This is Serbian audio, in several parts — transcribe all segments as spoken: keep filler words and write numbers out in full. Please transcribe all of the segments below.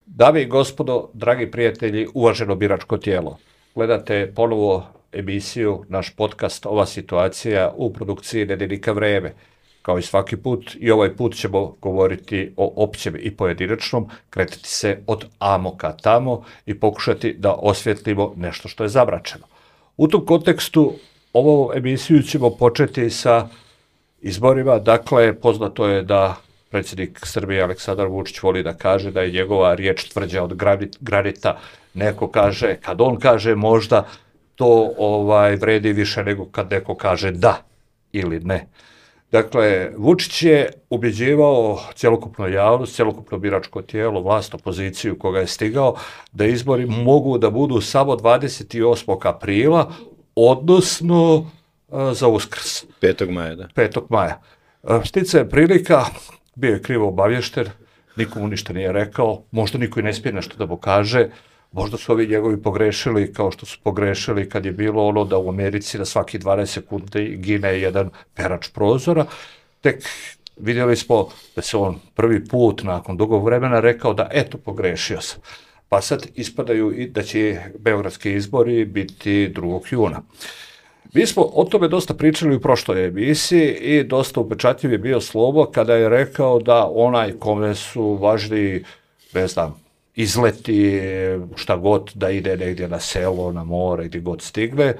Dame i gospodo, dragi prijatelji, uvaženo biračko tijelo. Gledate ponovo emisiju, naš podcast Ova situacija u produkciji Nedeljnika Vreme. Kao i svaki put, i ovaj put ćemo govoriti o općem i pojedinačnom, kretati se od amo ka tamo i pokušati da osvjetlimo nešto što je zamračeno. U tom kontekstu ovu emisiju ćemo početi sa izborima. Dakle, poznato je da predsjednik Srbije Aleksandar Vučić voli da kaže da je njegova riječ tvrđa od granita. Neko kaže, kad on kaže možda, to ovaj vredi više nego kad neko kaže da ili ne. Dakle, Vučić je ubjeđivao cjelokupnu javnost, cjelokupno biračko tijelo, vlast, opoziciju koga je stigao, da izbori mogu da budu samo dvadeset osmog aprila, odnosno za Uskrs. petog maja, da. petog maja. Štica je prilika, bio je krivo obavješten, nikomu ništa nije rekao, možda niko i ne smije nešto da mu kaže, možda su ovi njegovi pogrešili kao što su pogrešili kad je bilo ono da u Americi na svaki dvanaest sekundi gine jedan perač prozora. Tek vidjeli smo da se on prvi put nakon dugog vremena rekao da eto pogrešio sam. Pa sad ispadaju i da će beogradski izbori biti drugog juna. Mi smo o tome dosta pričali u prošloj emisiji i dosta upečatljiv je bio Slobo kada je rekao da onaj kome su važni, ne znam, izleti, šta god, da ide negdje na selo, na more, gdje god stigne.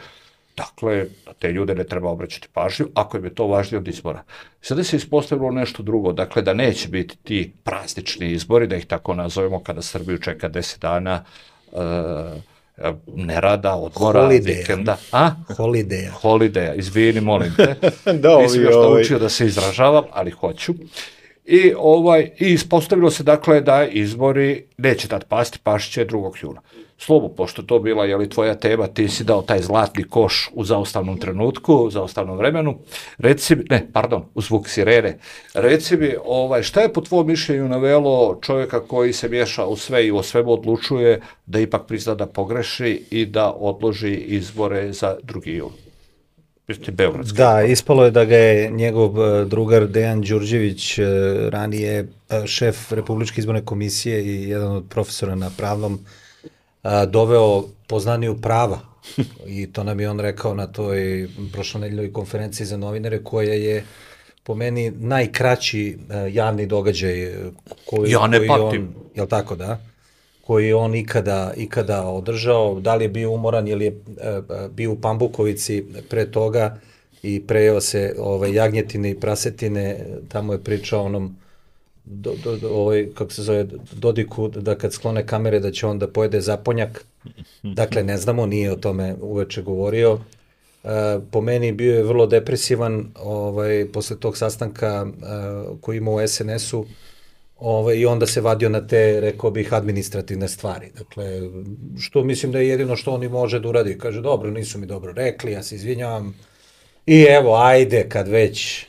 Dakle, te ljude ne treba obraćati pažnju, ako im je to važnije od izbora. Sada se ispostavilo nešto drugo, dakle da neće biti ti praznični izbori, da ih tako nazovemo, kada Srbiju čeka deset dana uh, nerada, odmora, Holiday. vikenda. A? Holiday. Holiday, izvini, molim te. da, Nisam još ovaj... naučio da se izražavam, ali hoću. I, ovaj, i ispostavilo se dakle da izbori neće tad pasti, pašće će drugog juna. Slobo, pošto to bila je li tvoja tema, ti si dao taj zlatni koš u zaustavnom trenutku, u zaustavnom vremenu. Reci mi, ne, pardon, u zvuk sirene. Reci mi, ovaj, šta je po tvojom mišljenju navelo čovjeka koji se miješa u sve i o svemu odlučuje da ipak prizna da pogreši i da odloži izbore za drugi jun? Da, ispalo je da ga je njegov drugar Dejan Đurđević, ranije šef Republičke izborne komisije i jedan od profesora na pravnom, doveo poznaniju prava. I to nam je on rekao na toj prošlonedeljnoj konferenciji za novinare, koja je po meni najkraći javni događaj koji, ja ne koji patim. on, jel tako da? koji je on ikada, ikada održao, da li je bio umoran ili je e, bio u Pambukovici pre toga i prejeo se ovaj, jagnjetine i prasetine, tamo je pričao onom, do, do, do, ovaj, kako se zove, Dodiku, da kad sklone kamere da će on da pojede zaponjak, dakle ne znamo, nije o tome uveče govorio. E, po meni bio je vrlo depresivan ovaj, posle tog sastanka e, koji ima u es en esu, Ove, i onda se vadio na te, rekao bih, administrativne stvari. Dakle, što mislim da je jedino što on i može da uradi. Kaže, dobro, nisu mi dobro rekli, ja se izvinjavam. I evo, ajde, kad već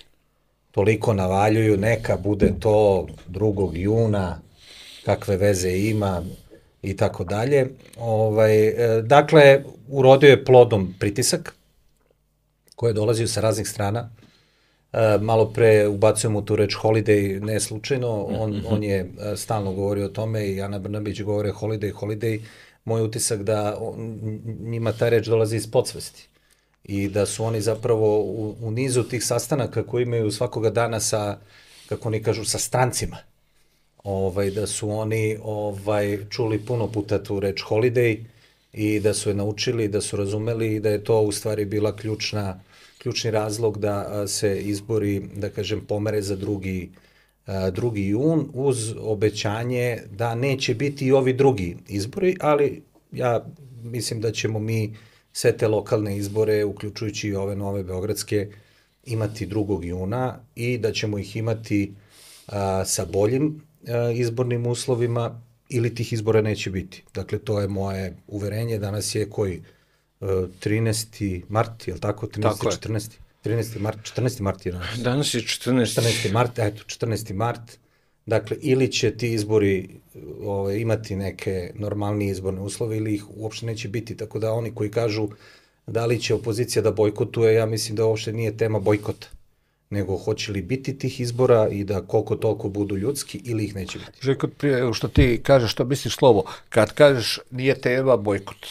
toliko navaljuju, neka bude to drugog juna, kakve veze ima i tako dalje. Ovaj, dakle, urodio je plodom pritisak koji je dolazio sa raznih strana. Uh, malo pre ubacujemo tu reč holiday, ne slučajno, on, mm-hmm. on je uh, stalno govorio o tome i Ana Brnabić govore holiday, holiday. Moj utisak da on, njima ta reč dolazi iz podsvesti i da su oni zapravo u, u nizu tih sastanaka koji imaju svakoga dana sa, kako oni kažu, sa strancima, ovaj, da su oni ovaj, čuli puno puta tu reč holiday i da su je naučili, da su razumeli i da je to u stvari bila ključna ključni razlog da se izbori, da kažem, pomere za drugi, drugi jun, uz obećanje da neće biti i ovi drugi izbori, ali ja mislim da ćemo mi sve te lokalne izbore, uključujući i ove nove beogradske, imati drugog juna i da ćemo ih imati a, sa boljim a, izbornim uslovima ili tih izbora neće biti. Dakle, to je moje uverenje. Danas je koji trinaesti mart, je li tako? trinaesti, četrnaesti trinaesti mart, četrnaesti mart je danas. Danas je četrnaesti. četrnaesti mart, eto, četrnaesti mart. Dakle, ili će ti izbori ove, imati neke normalnije izborne uslove ili ih uopšte neće biti. Tako da oni koji kažu da li će opozicija da bojkotuje, ja mislim da uopšte nije tema bojkota. nego hoće li biti tih izbora i da koliko toliko budu ljudski ili ih neće biti. Željko, prije što ti kažeš, što misliš slovo, kad kažeš nije tema bojkot,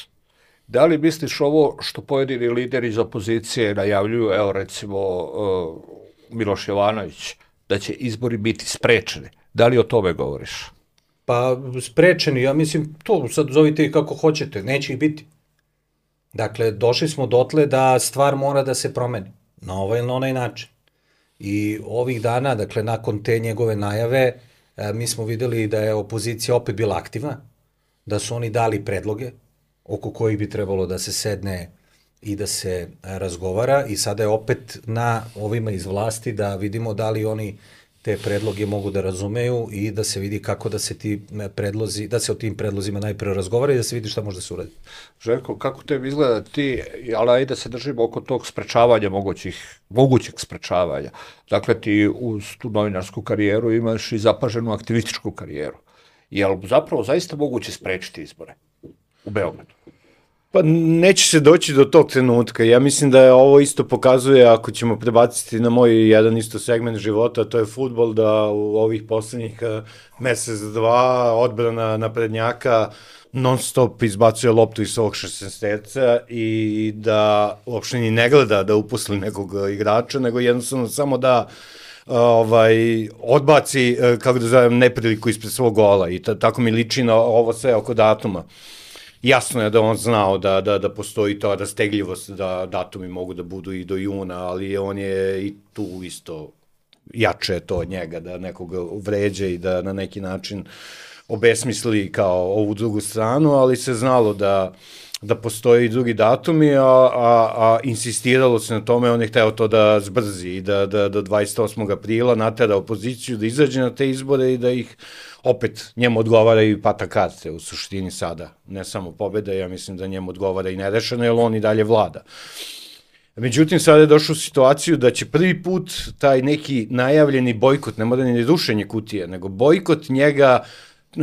da li misliš ovo što pojedini lideri iz opozicije najavljuju, evo recimo uh, Miloš Jovanović, da će izbori biti sprečeni? Da li o tome govoriš? Pa sprečeni, ja mislim, to sad zovite i kako hoćete, neće ih biti. Dakle, došli smo dotle da stvar mora da se promeni, na ovaj ili na onaj način. I ovih dana, dakle, nakon te njegove najave, mi smo videli da je opozicija opet bila aktivna, da su oni dali predloge oko kojih bi trebalo da se sedne i da se razgovara i sada je opet na ovima iz vlasti da vidimo da li oni te predloge mogu da razumeju i da se vidi kako da se ti predlozi, da se o tim predlozima najprve razgovara i da se vidi šta može da se uradi. Željko, kako tebi izgleda ti, ali ajde da se držimo oko tog sprečavanja mogućih, mogućeg sprečavanja. Dakle, ti uz tu novinarsku karijeru imaš i zapaženu aktivističku karijeru. Je li zapravo zaista moguće sprečiti izbore u Beogradu? Pa neće se doći do tog trenutka. Ja mislim da je ovo isto pokazuje, ako ćemo prebaciti na moj jedan isto segment života, to je fudbal, da u ovih poslednjih mesec, dva, odbrana naprednjaka non stop izbacuje loptu iz svog šesnaesterca i da uopšte ni ne gleda da uposli nekog igrača, nego jednostavno samo da ovaj, odbaci, kako da zovem, nepriliku ispred svog gola i tako mi liči na ovo sve oko datuma. Jasno je da on znao da, da, da postoji ta rastegljivost, da datumi mogu da budu i do juna, ali on je i tu isto jače to od njega, da nekoga vređe i da na neki način obesmisli kao ovu drugu stranu, ali se znalo da, da postoji i drugi datumi, a, a, a insistiralo se na tome, on je hteo to da zbrzi i da, da do dvadeset osmog aprila natera opoziciju da izađe na te izbore i da ih opet njemu odgovara i pata karte u suštini sada, ne samo pobjeda, ja mislim da njemu odgovara i nerešeno, jer on i dalje vlada. Međutim, sada je došao u situaciju da će prvi put taj neki najavljeni bojkot, ne mora ni rušenje kutije, nego bojkot njega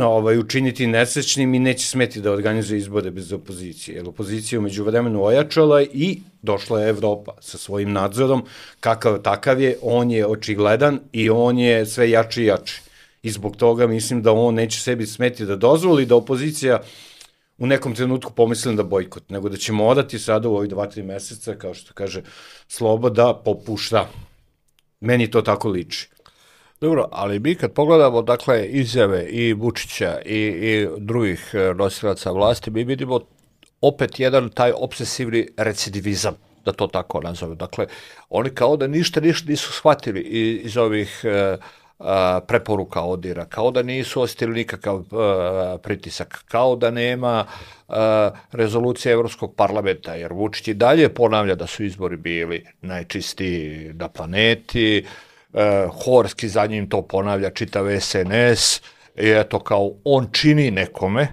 ovaj, učiniti nesrećnim i neće smeti da organizuje izbore bez opozicije, jer opozicija umeđu vremenu ojačala i došla je Evropa sa svojim nadzorom, kakav takav je, on je očigledan i on je sve jači i jači. I zbog toga mislim da on neće sebi smeti da dozvoli da opozicija u nekom trenutku pomisli da bojkot, nego da će morati sada u ovih dva, tri meseca, kao što kaže Slobo, da popušta. Meni to tako liči. Dobro, ali mi kad pogledamo, dakle, izjave i Vučića i, i drugih nosilaca vlasti, mi vidimo opet jedan taj obsesivni recidivizam, da to tako nazove. Dakle, oni kao da ništa, ništa nisu shvatili iz ovih preporuka ODIR-a, kao da nisu osjetili nikakav uh, pritisak, kao da nema uh, rezolucije Evropskog parlamenta, jer Vučić i dalje ponavlja da su izbori bili najčistiji na planeti, uh, Horski za njim to ponavlja čitav S N S, i eto kao on čini nekome,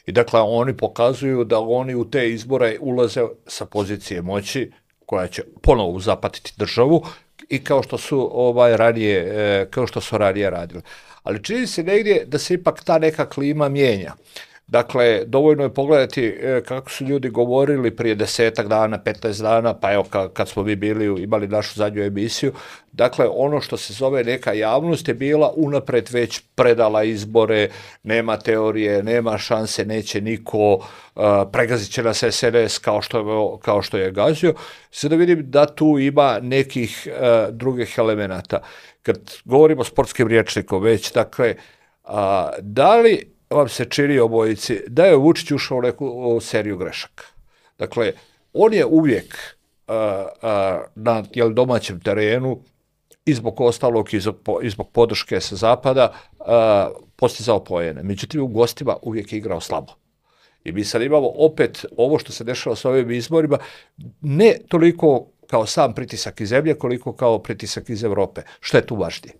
i dakle oni pokazuju da oni u te izbore ulaze sa pozicije moći koja će ponovo uzapatiti državu, i kao što su ovaj ranije, kao što su ranije radili. Ali čini se negdje da se ipak ta neka klima mijenja. Dakle, dovoljno je pogledati kako su ljudi govorili prije desetak dana, petnaest dana, pa evo kad smo mi bili, imali našu zadnju emisiju, dakle, ono što se zove neka javnost je bila unapred već predala izbore, nema teorije, nema šanse, neće niko, uh, pregazit će nas S N S kao što, kao što je gazio. Sada vidim da tu ima nekih uh, drugih elemenata. Kad govorimo sportskim rječnikom već, dakle, uh, da li vam se čini obojici da je Vučić ušao u neku seriju grešaka? Dakle, on je uvijek uh, uh, na jel, domaćem terenu i zbog ostalog i zbog, i zbog podrške sa zapada uh, postizao poene. Međutim, u gostima uvijek je igrao slabo. I mi sad imamo opet ovo što se dešava s ovim izborima, ne toliko kao sam pritisak iz zemlje, koliko kao pritisak iz Evrope. Što je tu važnije?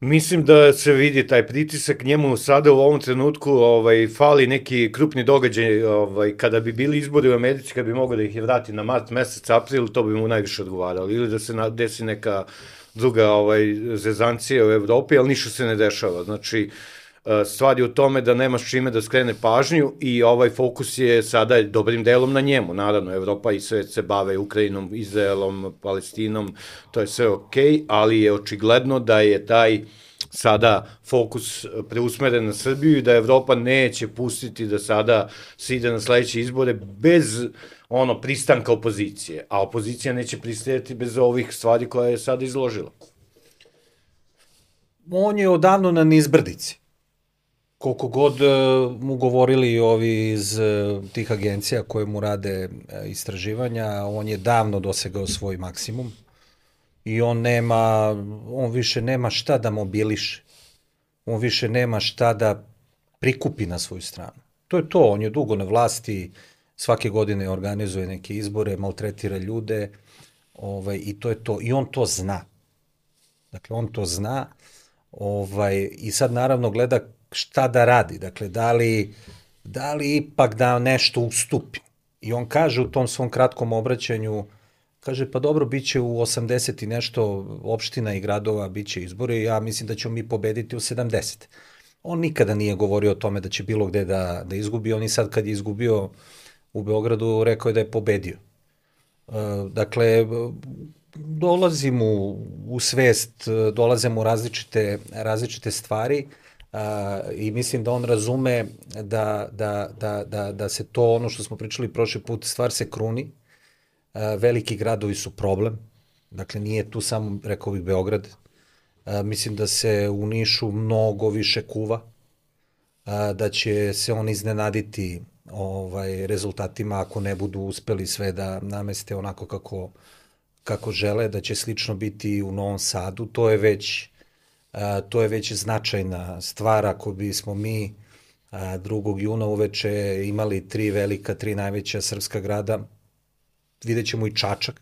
Mislim da se vidi taj pritisak, njemu sada u ovom trenutku ovaj, fali neki krupni događaj, ovaj, kada bi bili izbori u Americi, kada bi mogao da ih je vrati na mart, mesec, april, to bi mu najviše odgovaralo, ili da se desi neka druga ovaj, zezancija u Evropi, ali ništa se ne dešava. Znači, Stvar je u tome da nemaš čime da skrene pažnju i ovaj fokus je sada dobrim delom na njemu. Naravno, Evropa i svet se bave Ukrajinom, Izraelom, Palestinom, to je sve okej, ali je očigledno da je taj sada fokus preusmeren na Srbiju i da Evropa neće pustiti da sada se ide na sledeće izbore bez ono pristanka opozicije, a opozicija neće pristajati bez ovih stvari koje je sada izložila. On je odavno na nizbrdici. Koliko god mu govorili ovi iz tih agencija koje mu rade istraživanja, on je davno dosegao svoj maksimum i on nema, on više nema šta da mobiliše. On više nema šta da prikupi na svoju stranu. To je to, on je dugo na vlasti, svake godine organizuje neke izbore, maltretira ljude, ovaj, i to je to. I on to zna. Dakle, on to zna ovaj, i sad naravno gleda šta da radi, dakle, da li, da li ipak da nešto ustupi. I on kaže u tom svom kratkom obraćanju, kaže, pa dobro, bit će u osamdeset i nešto opština i gradova, bit će izbori, ja mislim da ćemo mi pobediti u sedamdeset. On nikada nije govorio o tome da će bilo gde da, da izgubi, on i sad kad je izgubio u Beogradu, rekao je da je pobedio. Dakle, dolazi mu u svest, dolaze mu različite, različite stvari, Uh, i mislim da on razume da, da, da, da, da se to, ono što smo pričali prošli put, stvar se kruni. Uh, veliki gradovi su problem, dakle nije tu samo, rekao bih, Beograd. Uh, mislim da se u Nišu mnogo više kuva, uh, da će se on iznenaditi ovaj, rezultatima ako ne budu uspeli sve da nameste onako kako, kako žele, da će slično biti u Novom Sadu. To je već Uh, to je već značajna stvar. Ako bismo mi uh, drugog juna uveče imali tri velika, tri najveća srpska grada, vidjet ćemo i Čačak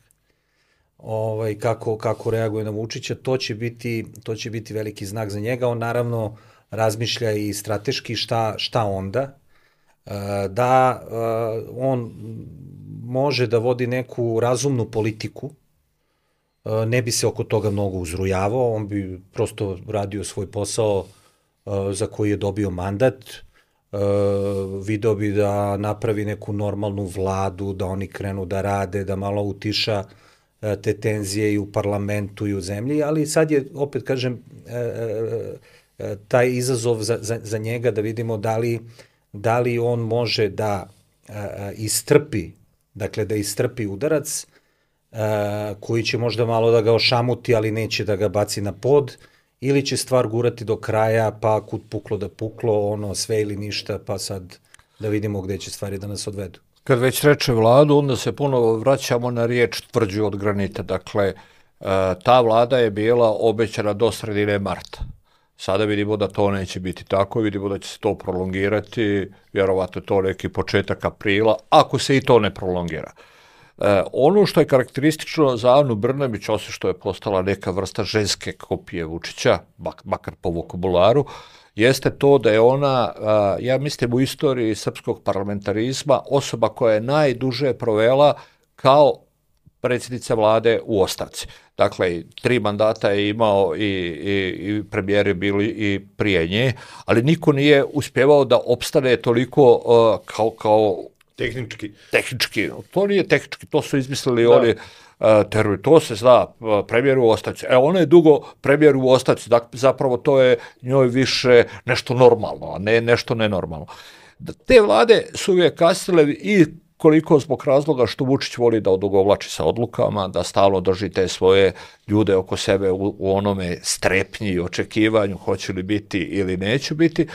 ovaj, kako, kako reaguje na Vučića, to će biti, to će biti veliki znak za njega. On naravno razmišlja i strateški šta, šta onda, uh, da uh, on može da vodi neku razumnu politiku, ne bi se oko toga mnogo uzrujavao, on bi prosto radio svoj posao za koji je dobio mandat, video bi da napravi neku normalnu vladu, da oni krenu da rade, da malo utiša te tenzije i u parlamentu i u zemlji, ali sad je, opet kažem, taj izazov za, za, za njega da vidimo da li, da li on može da istrpi, dakle da istrpi udarac, Uh, koji će možda malo da ga ošamuti, ali neće da ga baci na pod, ili će stvar gurati do kraja, pa kud puklo da puklo, ono sve ili ništa, pa sad da vidimo gde će stvari da nas odvedu. Kad već reče vladu, onda se ponovo vraćamo na riječ tvrđu od granita. Dakle, uh, ta vlada je bila obećana do sredine marta. Sada vidimo da to neće biti tako, vidimo da će se to prolongirati, vjerovatno je to neki početak aprila, ako se i to ne prolongira. E, ono što je karakteristično za Anu Brnabić, osim što je postala neka vrsta ženske kopije Vučića, bak, makar po vokabularu, jeste to da je ona, a, ja mislim u istoriji srpskog parlamentarizma, osoba koja je najduže provela kao predsjednica vlade u ostavci. Dakle, tri mandata je imao i, i, i premijeri bili i prije nje, ali niko nije uspjevao da opstane toliko uh, kao, kao Tehnički. Tehnički. To nije tehnički, to su izmislili da. oni uh, terori. To se zna, uh, premijer u ostavci. E, ona je dugo premijer u ostavci, dakle, zapravo to je njoj više nešto normalno, a ne nešto nenormalno. Te vlade su uvijek kasnile i koliko zbog razloga što Vučić voli da odugovlači sa odlukama, da stalno drži te svoje ljude oko sebe u, u onome strepnji i očekivanju hoće li biti ili neće biti,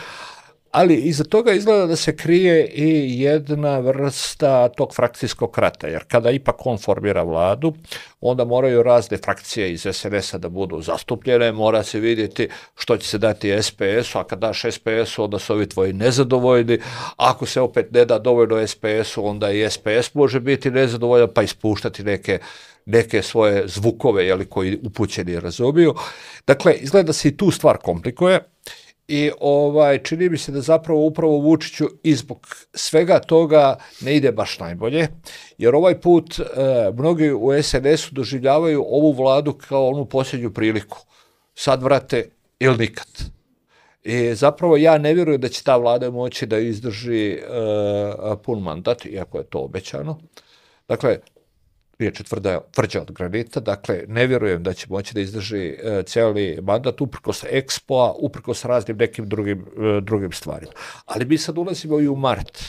ali iza toga izgleda da se krije i jedna vrsta tog frakcijskog rata, jer kada ipak on formira vladu, onda moraju razne frakcije iz es en es a da budu zastupljene, mora se vidjeti što će se dati es pe es u, a kad daš es pe es u, onda su ovi tvoji nezadovoljni, ako se opet ne da dovoljno es pe es u, onda i es pe es može biti nezadovoljan, pa ispuštati neke neke svoje zvukove, jeli, koji upućeni razumiju. Dakle, izgleda da se i tu stvar komplikuje. I ovaj, čini mi se da zapravo upravo Vučiću i zbog svega toga ne ide baš najbolje, jer ovaj put e, mnogi u es en es u doživljavaju ovu vladu kao onu posljednju priliku. Sad vrate ili nikad. I zapravo ja ne vjerujem da će ta vlada moći da izdrži uh, pun mandat, iako je to obećano. Dakle, riječ je tvrda, tvrđa od granita, dakle, ne vjerujem da će moći da izdrži uh, cijeli mandat uprkos Expo-a, uprkos raznim nekim drugim, uh, drugim stvarima. Ali mi sad ulazimo i u mart.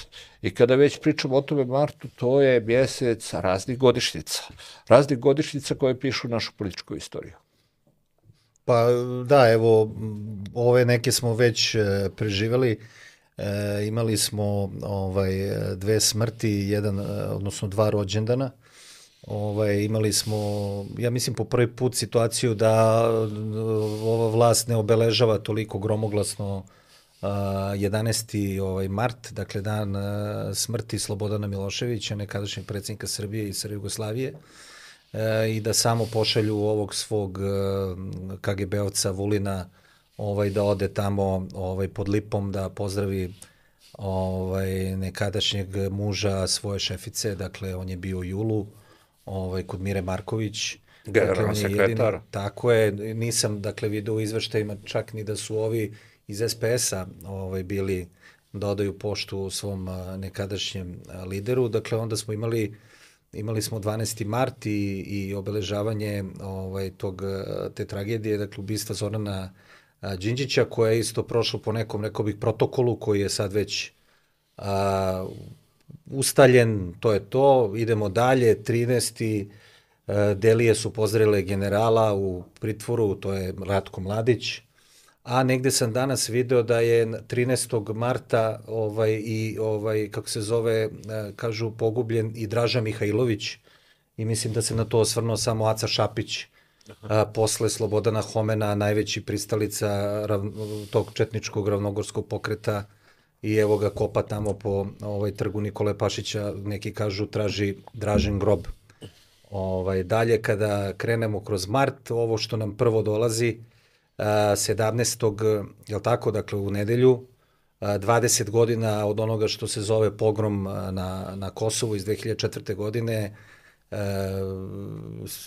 I kada već pričamo o tome martu, to je mjesec raznih godišnjica. Raznih godišnjica koje pišu našu političku istoriju. Pa da, evo, ove neke smo već e, preživjeli. E, imali smo ovaj, dve smrti, jedan, odnosno dva rođendana. Ovaj, imali smo, ja mislim, po prvi put situaciju da ova vlast ne obeležava toliko gromoglasno uh, jedanaesti ovaj, mart, dakle dan uh, smrti Slobodana Miloševića, nekadašnjeg predsjednika Srbije i Srbije Jugoslavije, uh, i da samo pošalju ovog svog uh, K G B-ovca Vulina ovaj, da ode tamo ovaj, pod lipom da pozdravi ovaj, nekadašnjeg muža svoje šefice, dakle on je bio u julu, ovaj, kod Mire Marković. Generalni dakle, sekretar. Jedini, tako je, nisam dakle vidio u izveštajima čak ni da su ovi iz S P S-a ovaj, bili da odaju poštu svom a, nekadašnjem a, lideru, dakle onda smo imali imali smo dvanaesti mart i, i obeležavanje ovaj, tog, te tragedije, dakle ubistva Zorana a, Đinđića, koja je isto prošlo po nekom, rekao bih, protokolu koji je sad već a, ustaljen, to je to, idemo dalje, trinaesti Delije su pozdravile generala u pritvoru, to je Ratko Mladić, a negde sam danas video da je trinaestog marta ovaj, i ovaj, kako se zove, kažu pogubljen i Draža Mihajlović, i mislim da se na to osvrnuo samo Aca Šapić, a, posle Slobodana Homena, najveći pristalica rav, tog četničkog ravnogorskog pokreta, i evo ga kopa tamo po ovaj, trgu Nikole Pašića, neki kažu traži Dražin grob. Ovaj, dalje kada krenemo kroz mart, ovo što nam prvo dolazi, a, sedamnaestog je li tako, dakle u nedelju, a, dvadeset godina od onoga što se zove pogrom na, na Kosovu iz dve hiljade četvrte. godine, a,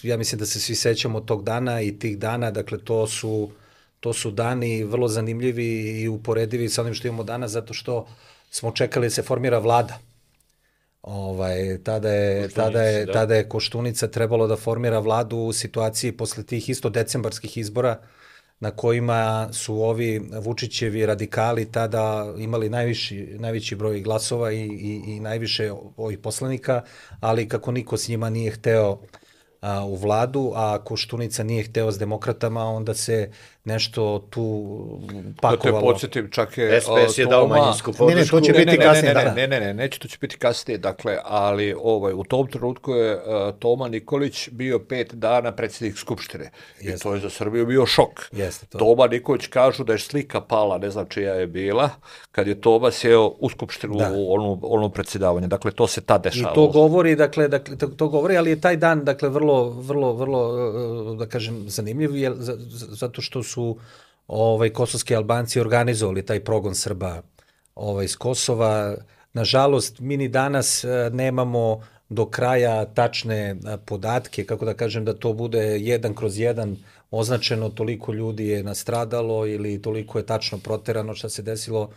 ja mislim da se svi sećamo tog dana i tih dana, dakle to su To su dani vrlo zanimljivi i uporedivi sa onim što imamo danas, zato što smo čekali da se formira vlada. Ovaj, tada, je, tada, je, da. tada je Koštunica trebalo da formira vladu u situaciji posle tih isto decembarskih izbora, na kojima su ovi Vučićevi radikali tada imali najviši, najveći broj glasova i, i, i najviše ovih poslanika, ali kako niko s njima nije hteo a, u vladu, a Koštunica nije hteo s demokratama, onda se nešto tu pakovalo. Da te podsjetim, čak je... S P S je dao manjinsku podršku. Ne, ne, to će ne, biti ne, kasnije. Ne, ne, da, ne, ne, ne, neće, to će biti kasnije, dakle, ali ovaj, u tom trenutku je uh, Toma Nikolić bio pet dana predsjednik Skupštine. Jeste. I to je za Srbiju bio šok. Jeste to. Toma Nikolić kažu da je slika pala, ne znam čija je bila, kad je Toma sjeo u Skupštinu, da. u onu, onu predsjedavanje. Dakle, to se tad dešavalo. I to govori, dakle, dakle, to, to govori, ali je taj dan, dakle, vrlo, vrlo, vrlo, da kažem, zanimljiv, jer, zato što su ovaj, kosovski Albanci organizovali taj progon Srba ovaj, iz Kosova. Nažalost, mi ni danas nemamo do kraja tačne podatke, kako da kažem, da to bude jedan kroz jedan označeno, toliko ljudi je nastradalo ili toliko je tačno proterano šta se desilo.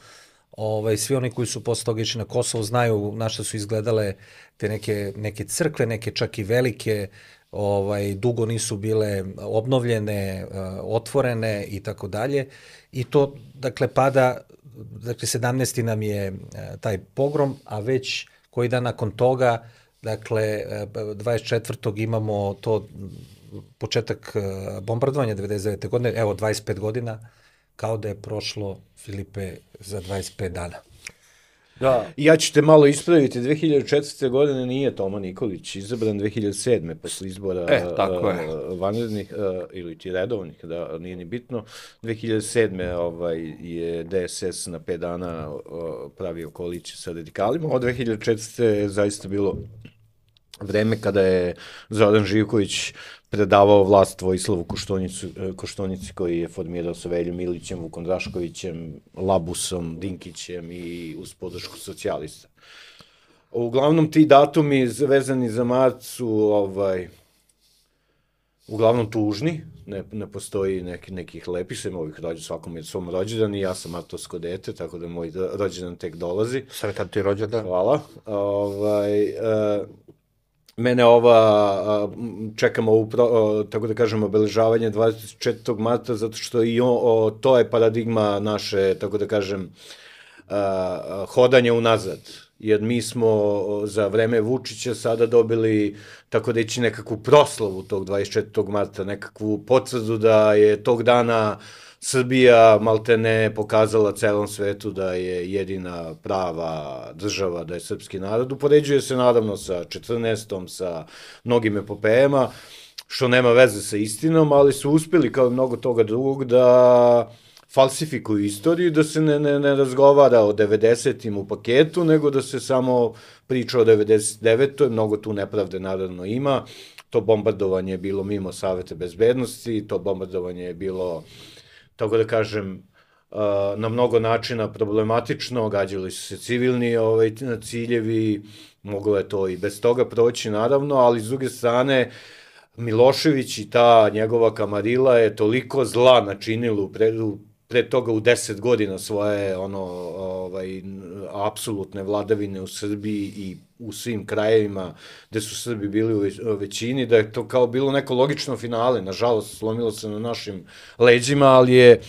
Ovaj, svi oni koji su posle toga išli na Kosovo znaju na šta su izgledale te neke, neke crkve, neke čak i velike, ovaj, dugo nisu bile obnovljene, otvorene i tako dalje. I to, dakle, pada, dakle, sedamnaesti nam je taj pogrom, a već koji dan nakon toga, dakle, dvadeset četvrtog imamo to početak bombardovanja devedeset devete. godine, evo, dvadeset pet godina, kao da je prošlo, Filipe, za dvadeset pet dana. Da. Ja ću te malo ispraviti, dve hiljade četvrte. godine nije Toma Nikolić izabran, dve hiljade sedme. posle izbora e, tako je. vanrednih ili ti redovnih, da nije ni bitno. dve hiljade sedme. Ovaj, je D S S na pet dana pravio koaliciju sa radikalima, od dve hiljade četvrte. je zaista bilo vreme kada je Zoran Živković predavao vlast Vojislavu Koštunici, koji je formirao sa Veljom Ilićem, Vukom Draškovićem, Labusom, Dinkićem i uz podršku socijalista. Uglavnom, ti datumi vezani za mart su ovaj, uglavnom tužni, ne, ne postoji neki, nekih lepih, sem ovih rođendan, svakom je svom rođendan i ja sam martovsko dete, tako da moj rođendan tek dolazi. Sretan ti rođendan. Hvala. Ovaj, e, mene ova, čekamo ovu, pro, tako da kažem, obeležavanje dvadeset četvrtog marta, zato što i on, o, to je paradigma naše, tako da kažem, a, hodanje unazad. Jer mi smo za vreme Vučića sada dobili, tako da ići nekakvu proslavu tog dvadeset četvrtog marta, nekakvu potvrdu da je tog dana Srbija maltene pokazala celom svetu da je jedina prava država, da je srpski narod. Upoređuje se naravno sa četrnaestom, sa mnogim epopejama, što nema veze sa istinom, ali su uspeli kao mnogo toga drugog da falsifikuju istoriju, da se ne, ne, ne razgovara o devedesetim u paketu, nego da se samo priča o devedeset devetoj Mnogo tu nepravde naravno ima. To bombardovanje je bilo mimo Saveta bezbednosti, to bombardovanje je bilo, tako da kažem, na mnogo načina problematično, gađali su se civilni ovaj, ciljevi, moglo je to i bez toga proći naravno, ali s druge strane Milošević i ta njegova kamarila je toliko zla načinila u predu pre toga u deset godina svoje ono ovaj apsolutne vladavine u Srbiji i u svim krajevima gde su Srbi bili u većini, da je to kao bilo neko logično finale. Nažalost, slomilo se na našim leđima, ali je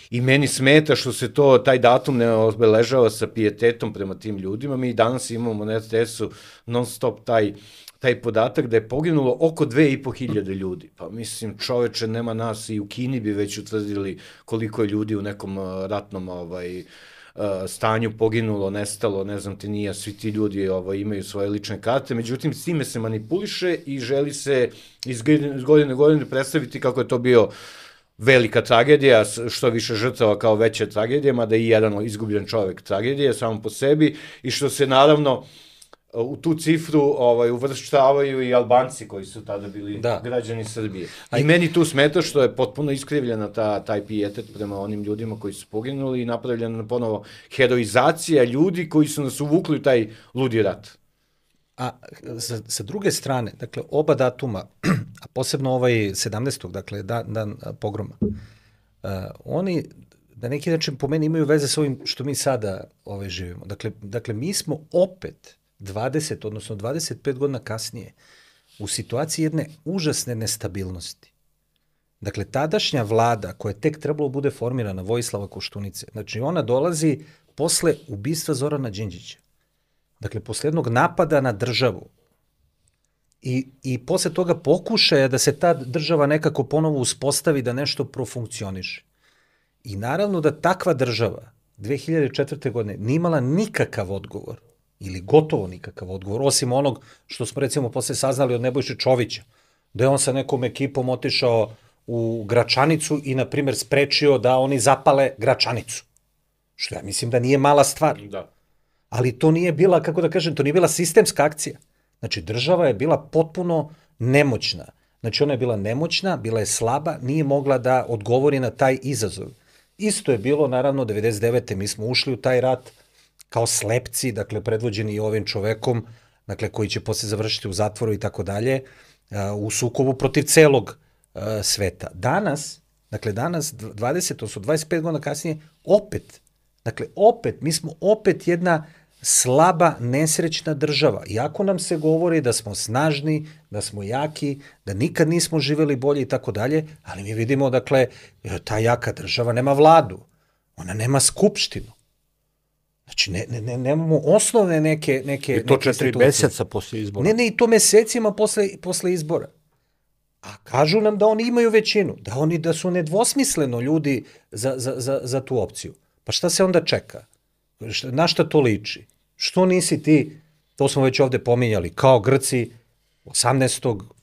i meni smeta što se to, taj datum ne obeležava sa pijetetom prema tim ljudima. Mi danas imamo na R T S-u non stop taj taj podatak da je poginulo oko dve i po hiljade ljudi. Pa mislim, čoveče, nema nas, i u Kini bi već utvrdili koliko je ljudi u nekom ratnom ovaj, stanju poginulo, nestalo, ne znam ti nije, svi ti ljudi ovaj, imaju svoje lične karte, međutim, s time se manipuliše i želi se iz godine u godine predstaviti kako je to bio velika tragedija, što više žrtava kao veća tragedija, mada i jedan izgubljen čovek tragedija samo po sebi, i što se naravno u tu cifru ovaj, uvrštavaju i Albanci koji su tada bili da. građani Srbije. I meni tu smeta što je potpuno iskrivljena ta, taj pijetet prema onim ljudima koji su poginuli i napravljena ponovo heroizacija ljudi koji su nas uvukli u taj ludi rat. A sa, sa druge strane, dakle, oba datuma, a posebno ovaj sedamnaestog dakle, dan, dan pogroma, uh, oni na neki način po meni imaju veze s ovim što mi sada ovaj, živimo. Dakle, dakle, mi smo opet dvadeset, odnosno dvadeset pet godina kasnije, u situaciji jedne užasne nestabilnosti. Dakle, tadašnja vlada, koja je tek trebalo bude formirana, Vojislava Koštunice, znači ona dolazi posle ubistva Zorana Đinđića. Dakle, posle jednog napada na državu i, i posle toga pokušaja da se ta država nekako ponovo uspostavi, da nešto profunkcioniše. I naravno da takva država dve hiljade četvrte godine nije imala nikakav odgovor, ili gotovo nikakav odgovor, osim onog što smo recimo posle saznali od Nebojše Čovića, da je on sa nekom ekipom otišao u Gračanicu i, na primjer, sprečio da oni zapale Gračanicu. Što ja mislim da nije mala stvar. Da. Ali to nije bila, kako da kažem, to nije bila sistemska akcija. Znači, država je bila potpuno nemoćna. Znači, ona je bila nemoćna, bila je slaba, nije mogla da odgovori na taj izazov. Isto je bilo, naravno, devedeset devete mi smo ušli u taj rat kao slepci, dakle, predvođeni i ovim čovekom, dakle, koji će posle završiti u zatvoru i tako dalje, u sukobu protiv celog uh, sveta. Danas, dakle, danas, dvadeset, odnosno dvadeset pet godina kasnije, opet, dakle, opet, mi smo opet jedna slaba, nesrećna država. Iako nam se govori da smo snažni, da smo jaki, da nikad nismo živeli bolje i tako dalje, ali mi vidimo, dakle, ta jaka država nema vladu, ona nema skupštinu. Znači, ne, ne, ne, nemamo osnovne neke, neke I to četiri meseca posle izbora. Ne, ne, i to mesecima posle, posle izbora. A kažu nam da oni imaju većinu, da oni da su nedvosmisleno ljudi za, za, za, za tu opciju. Pa šta se onda čeka? Na šta to liči? Što nisi ti, to smo već ovde pominjali, kao Grci osamnaestog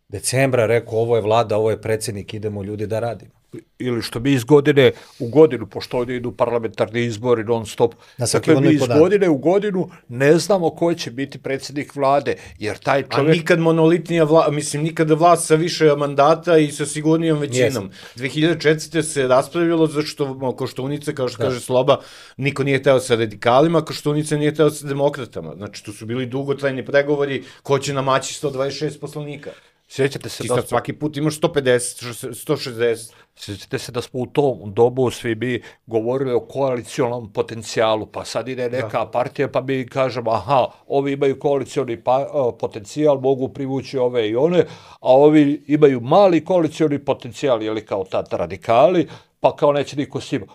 decembra rekao ovo je vlada, ovo je predsjednik, idemo ljudi da radimo. Ili što mi iz godine u godinu, pošto ovdje idu parlamentarni izbori non stop, dakle mi iz godine u godinu ne znamo ko će biti predsjednik vlade, jer taj čovjek... A nikad monolitnija vlada, mislim, nikada vlast sa više mandata i sa sigurnijom većinom. dve hiljade četvrte se raspravljalo zašto Koštunica, kao što da. kaže Sloba, niko nije hteo sa radikalima, Koštunica nije hteo sa demokratama. Znači, tu su bili dugotrajni pregovori ko će namaći sto dvadeset šest poslanika. Sjećate se Ti da sad smo, svaki put imaš sto pedeset, sto šezdeset. sjećate se da smo u tom dobu svi bi govorili o koalicijalnom potencijalu, pa sad ide neka Da. partija pa mi kažemo, aha, ovi imaju koalicijalni pa, o, potencijal, mogu privući ove i one, a ovi imaju mali koalicijalni potencijal, jeli kao tata radikali, pa kao neće niko s njima.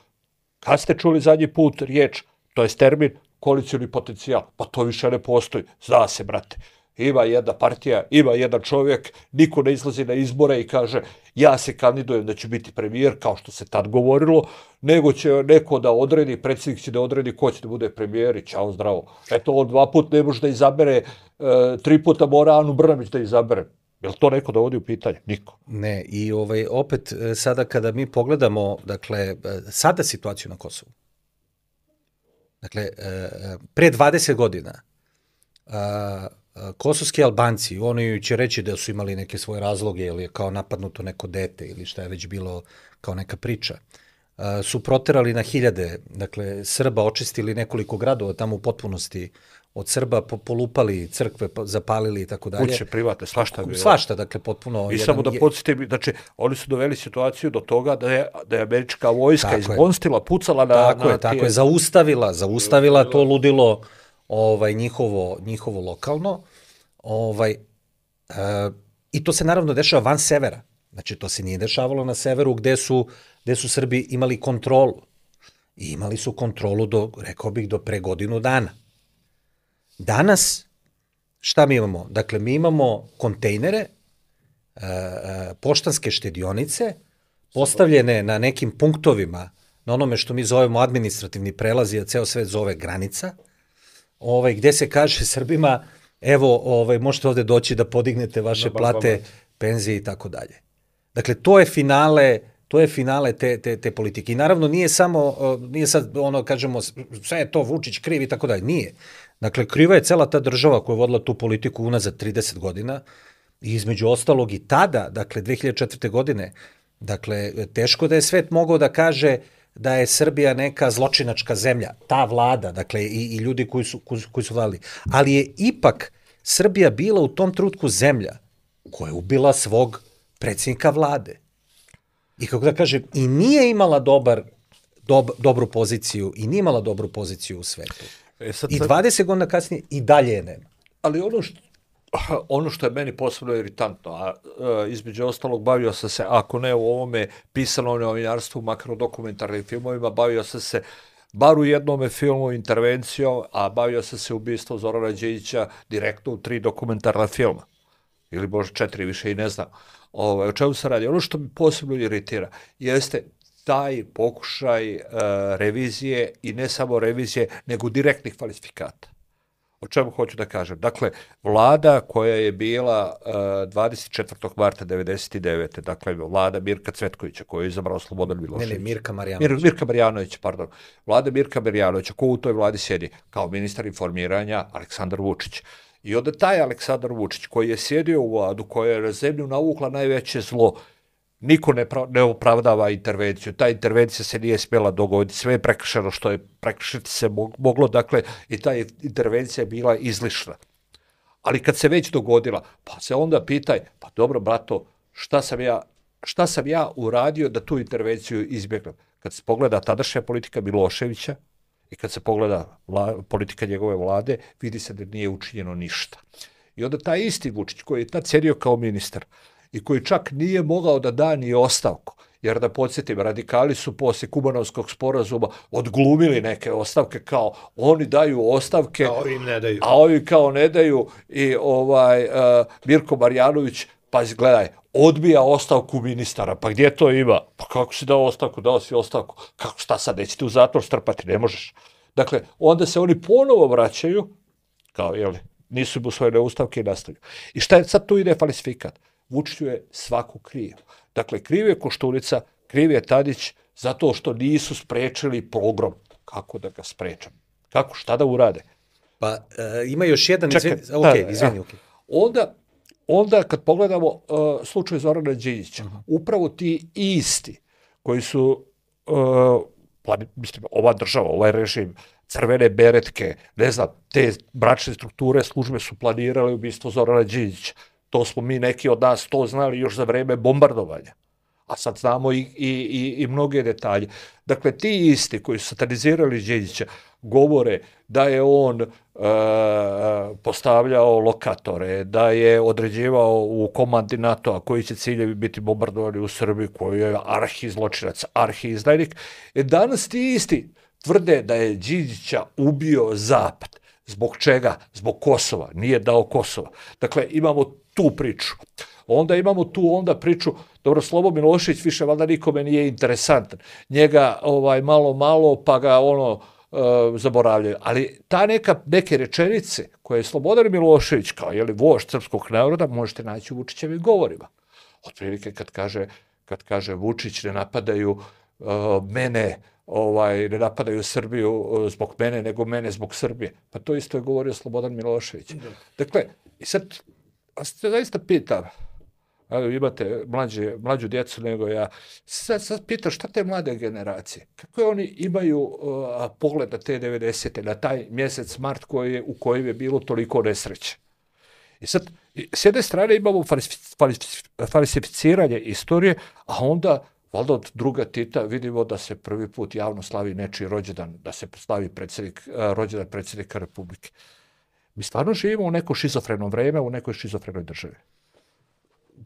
Kad ste čuli zadnji put riječ, to je termin, koalicijalni potencijal? Pa to više ne postoji. Zna se, brate. Ima jedna partija, ima jedan čovjek, niko ne izlazi na izbore i kaže ja se kandidujem da ću biti premijer, kao što se tad govorilo, nego će neko da odredi, predsjednik će da odredi ko će da bude premijer i čao zdravo. Eto, on dva put ne može da izabere, e, tri puta mora Anu Brnabić da izabere. Je li to neko dovodi u pitanje? Niko. Ne, i ovaj, opet e, sada kada mi pogledamo, dakle, e, sada situaciju na Kosovu, dakle, e, e, pre dvadeset godina, a, a, kosovski Albanci, oni će reći da su imali neke svoje razloge, ili je kao napadnuto neko dete, ili šta je već bilo kao neka priča, a, su proterali na hiljade, dakle, Srba, očistili nekoliko gradova tamo u potpunosti od Srba, po, polupali crkve, pa, zapalili i tako dalje. Kuće, private, svašta je bilo. Svašta, dakle, potpuno... I jedan, samo da podsjetim, znači, oni su doveli situaciju do toga da je, da je američka vojska izgonstila, pucala na... Tako na je, tako tije... je, zaustavila, zaustavila to ludilo ovaj, njihovo, njihovo lokalno. Ovaj, e, I to se naravno dešava van severa. Znači, to se nije dešavalo na severu gde su, gde su Srbi imali kontrolu. I imali su kontrolu do, rekao bih, do pre godinu dana. Danas, šta mi imamo? Dakle, mi imamo kontejnere, e, e, poštanske štedionice, postavljene na nekim punktovima, na onome što mi zovemo administrativni prelazi, a ceo svet zove granica, ovaj, gde se kaže Srbima, evo, ovaj, možete ovde doći da podignete vaše ba, plate, ba, ba. penzije i tako dalje. Dakle, to je finale, to je finale te, te, te politike. I naravno nije samo, nije sad ono, kažemo, sve je to Vučić kriv i tako dalje. Nije. Dakle, kriva je cela ta država koja je vodila tu politiku unazad trideset godina i između ostalog i tada, dakle, dve hiljade četvrte. godine, dakle, teško da je svet mogao da kaže da je Srbija neka zločinačka zemlja, ta vlada, dakle, i, i ljudi koji su, koji, koji su vladali. Ali je ipak Srbija bila u tom trenutku zemlja koja je ubila svog predsjednika vlade. I kako da kažem, i nije imala dobar, dob, dobru poziciju, i nije imala dobru poziciju u svetu. E sad, I dvadeset godina kasnije i dalje je nema. Ali ono što, ono što je meni posebno iritantno, a, a između ostalog bavio sam se, ako ne u ovome pisanom novinarstvu, makar u dokumentarnim filmovima, bavio sam se bar u jednome filmu intervencijom, a bavio sam se ubistvom Zorana Đinđića direktno u tri dokumentarna filma. Ili možda četiri, više i ne znam. Ovo, o čemu se radi? Ono što mi posebno iritira jeste taj pokušaj uh, revizije i ne samo revizije, nego direktnih falsifikata. O čemu hoću da kažem? Dakle, vlada koja je bila uh, dvadeset četvrtog marta devedeset devete. dakle, vlada Mirka Cvetkovića, koju je izabrao Slobodan Milošević. Ne, ne, Mirka Marjanović. Mir, Mirka Marjanović, pardon. Vlada Mirka Marjanovića, ko u toj vladi sjedi? Kao ministar informiranja Aleksandar Vučić. I onda taj Aleksandar Vučić, koji je sjedio u vladu, koja je na zemlju navukla najveće zlo, niko ne, pra, ne opravdava intervenciju. Ta intervencija se nije smjela dogoditi. Sve je prekršeno što je prekršiti se moglo, dakle, i ta intervencija je bila izlišna. Ali kad se već dogodila, pa se onda pitaj, pa dobro, brato, šta sam ja, šta sam ja uradio da tu intervenciju izbjegnem? Kad se pogleda tadašnja politika Miloševića, i kad se pogleda vla, politika njegove vlade, vidi se da nije učinjeno ništa. I onda taj isti Vučić, koji je tad sjedio kao ministar i koji čak nije mogao da da ni ostavku, jer da podsjetim, radikali su poslije Kumanovskog sporazuma odglumili neke ostavke, kao oni daju ostavke, a ovi ne daju. A ovi kao ne daju i ovaj uh, Mirko Marjanović, pa gledaj, odbija ostavku ministara, pa gdje to ima? Pa kako si dao ostavku? Dao si ostavku. Kako, šta sad, nećete u zatvor strpati? Ne možeš. Dakle, onda se oni ponovo vraćaju, kao, jel, nisu im usvojene ustavke i nastavljaju. I šta je sad tu ide falsifikat? Vučiću je svaku kriv. Dakle, kriv je Koštunica, kriv je Tadić, zato što nisu sprečili pogrom. Kako da ga sprečam? Kako, šta da urade? Pa, e, ima još jedan... Čekaj, izvini, ok, da, izvini, ja. ok. Onda, onda kad pogledamo uh, slučaj Zorana Đinđića, uh-huh. upravo ti isti koji su, uh, plan, mislim, ova država, ovaj režim, crvene beretke, ne znam, te bračne strukture službe su planirale ubistvo Zorana Đinđića. To smo mi neki od nas to znali još za vreme bombardovanja. A sad znamo i, i, i, i mnoge detalje. Dakle, ti isti koji su satanizirali Đinđića govore da je on e, postavljao lokatore, da je određivao u komandi NATO-a koji će ciljevi biti bombardovani u Srbiji, koji je arhi-zločinac, arhi-izdajnik. E danas ti isti tvrde da je Đinđića ubio Zapad. Zbog čega? Zbog Kosova. Nije dao Kosova. Dakle, imamo tu priču. Onda imamo tu onda priču, dobro, Slobo Milošević više valjda nikome nije interesantan. Njega ovaj, malo, malo, pa ga ono e, zaboravljaju. Ali ta neka, neke rečenice koje je Slobodan Milošević, kao je li vožd srpskog naroda, možete naći u Vučićevim govorima. Otprilike kad kaže, kad kaže Vučić ne napadaju e, mene, ovaj, ne napadaju Srbiju zbog mene, nego mene zbog Srbije. Pa to isto je govorio Slobodan Milošević. Dakle, i sad, a se zaista pitam, imate mlađe, mlađu djecu nego ja, sad, sad pitam šta te mlade generacije, kako oni imaju uh, pogled na te devedesete, na taj mjesec mart koji je, u kojem je bilo toliko nesreće. I sad, s jedne strane imamo falsificiranje istorije, a onda valjda od druga Tita vidimo da se prvi put javno slavi nečiji rođendan, da se slavi predsjednik, rođendan predsjednika Republike. Mi stvarno živimo u neko šizofreno vreme, u nekoj šizofrenoj državi.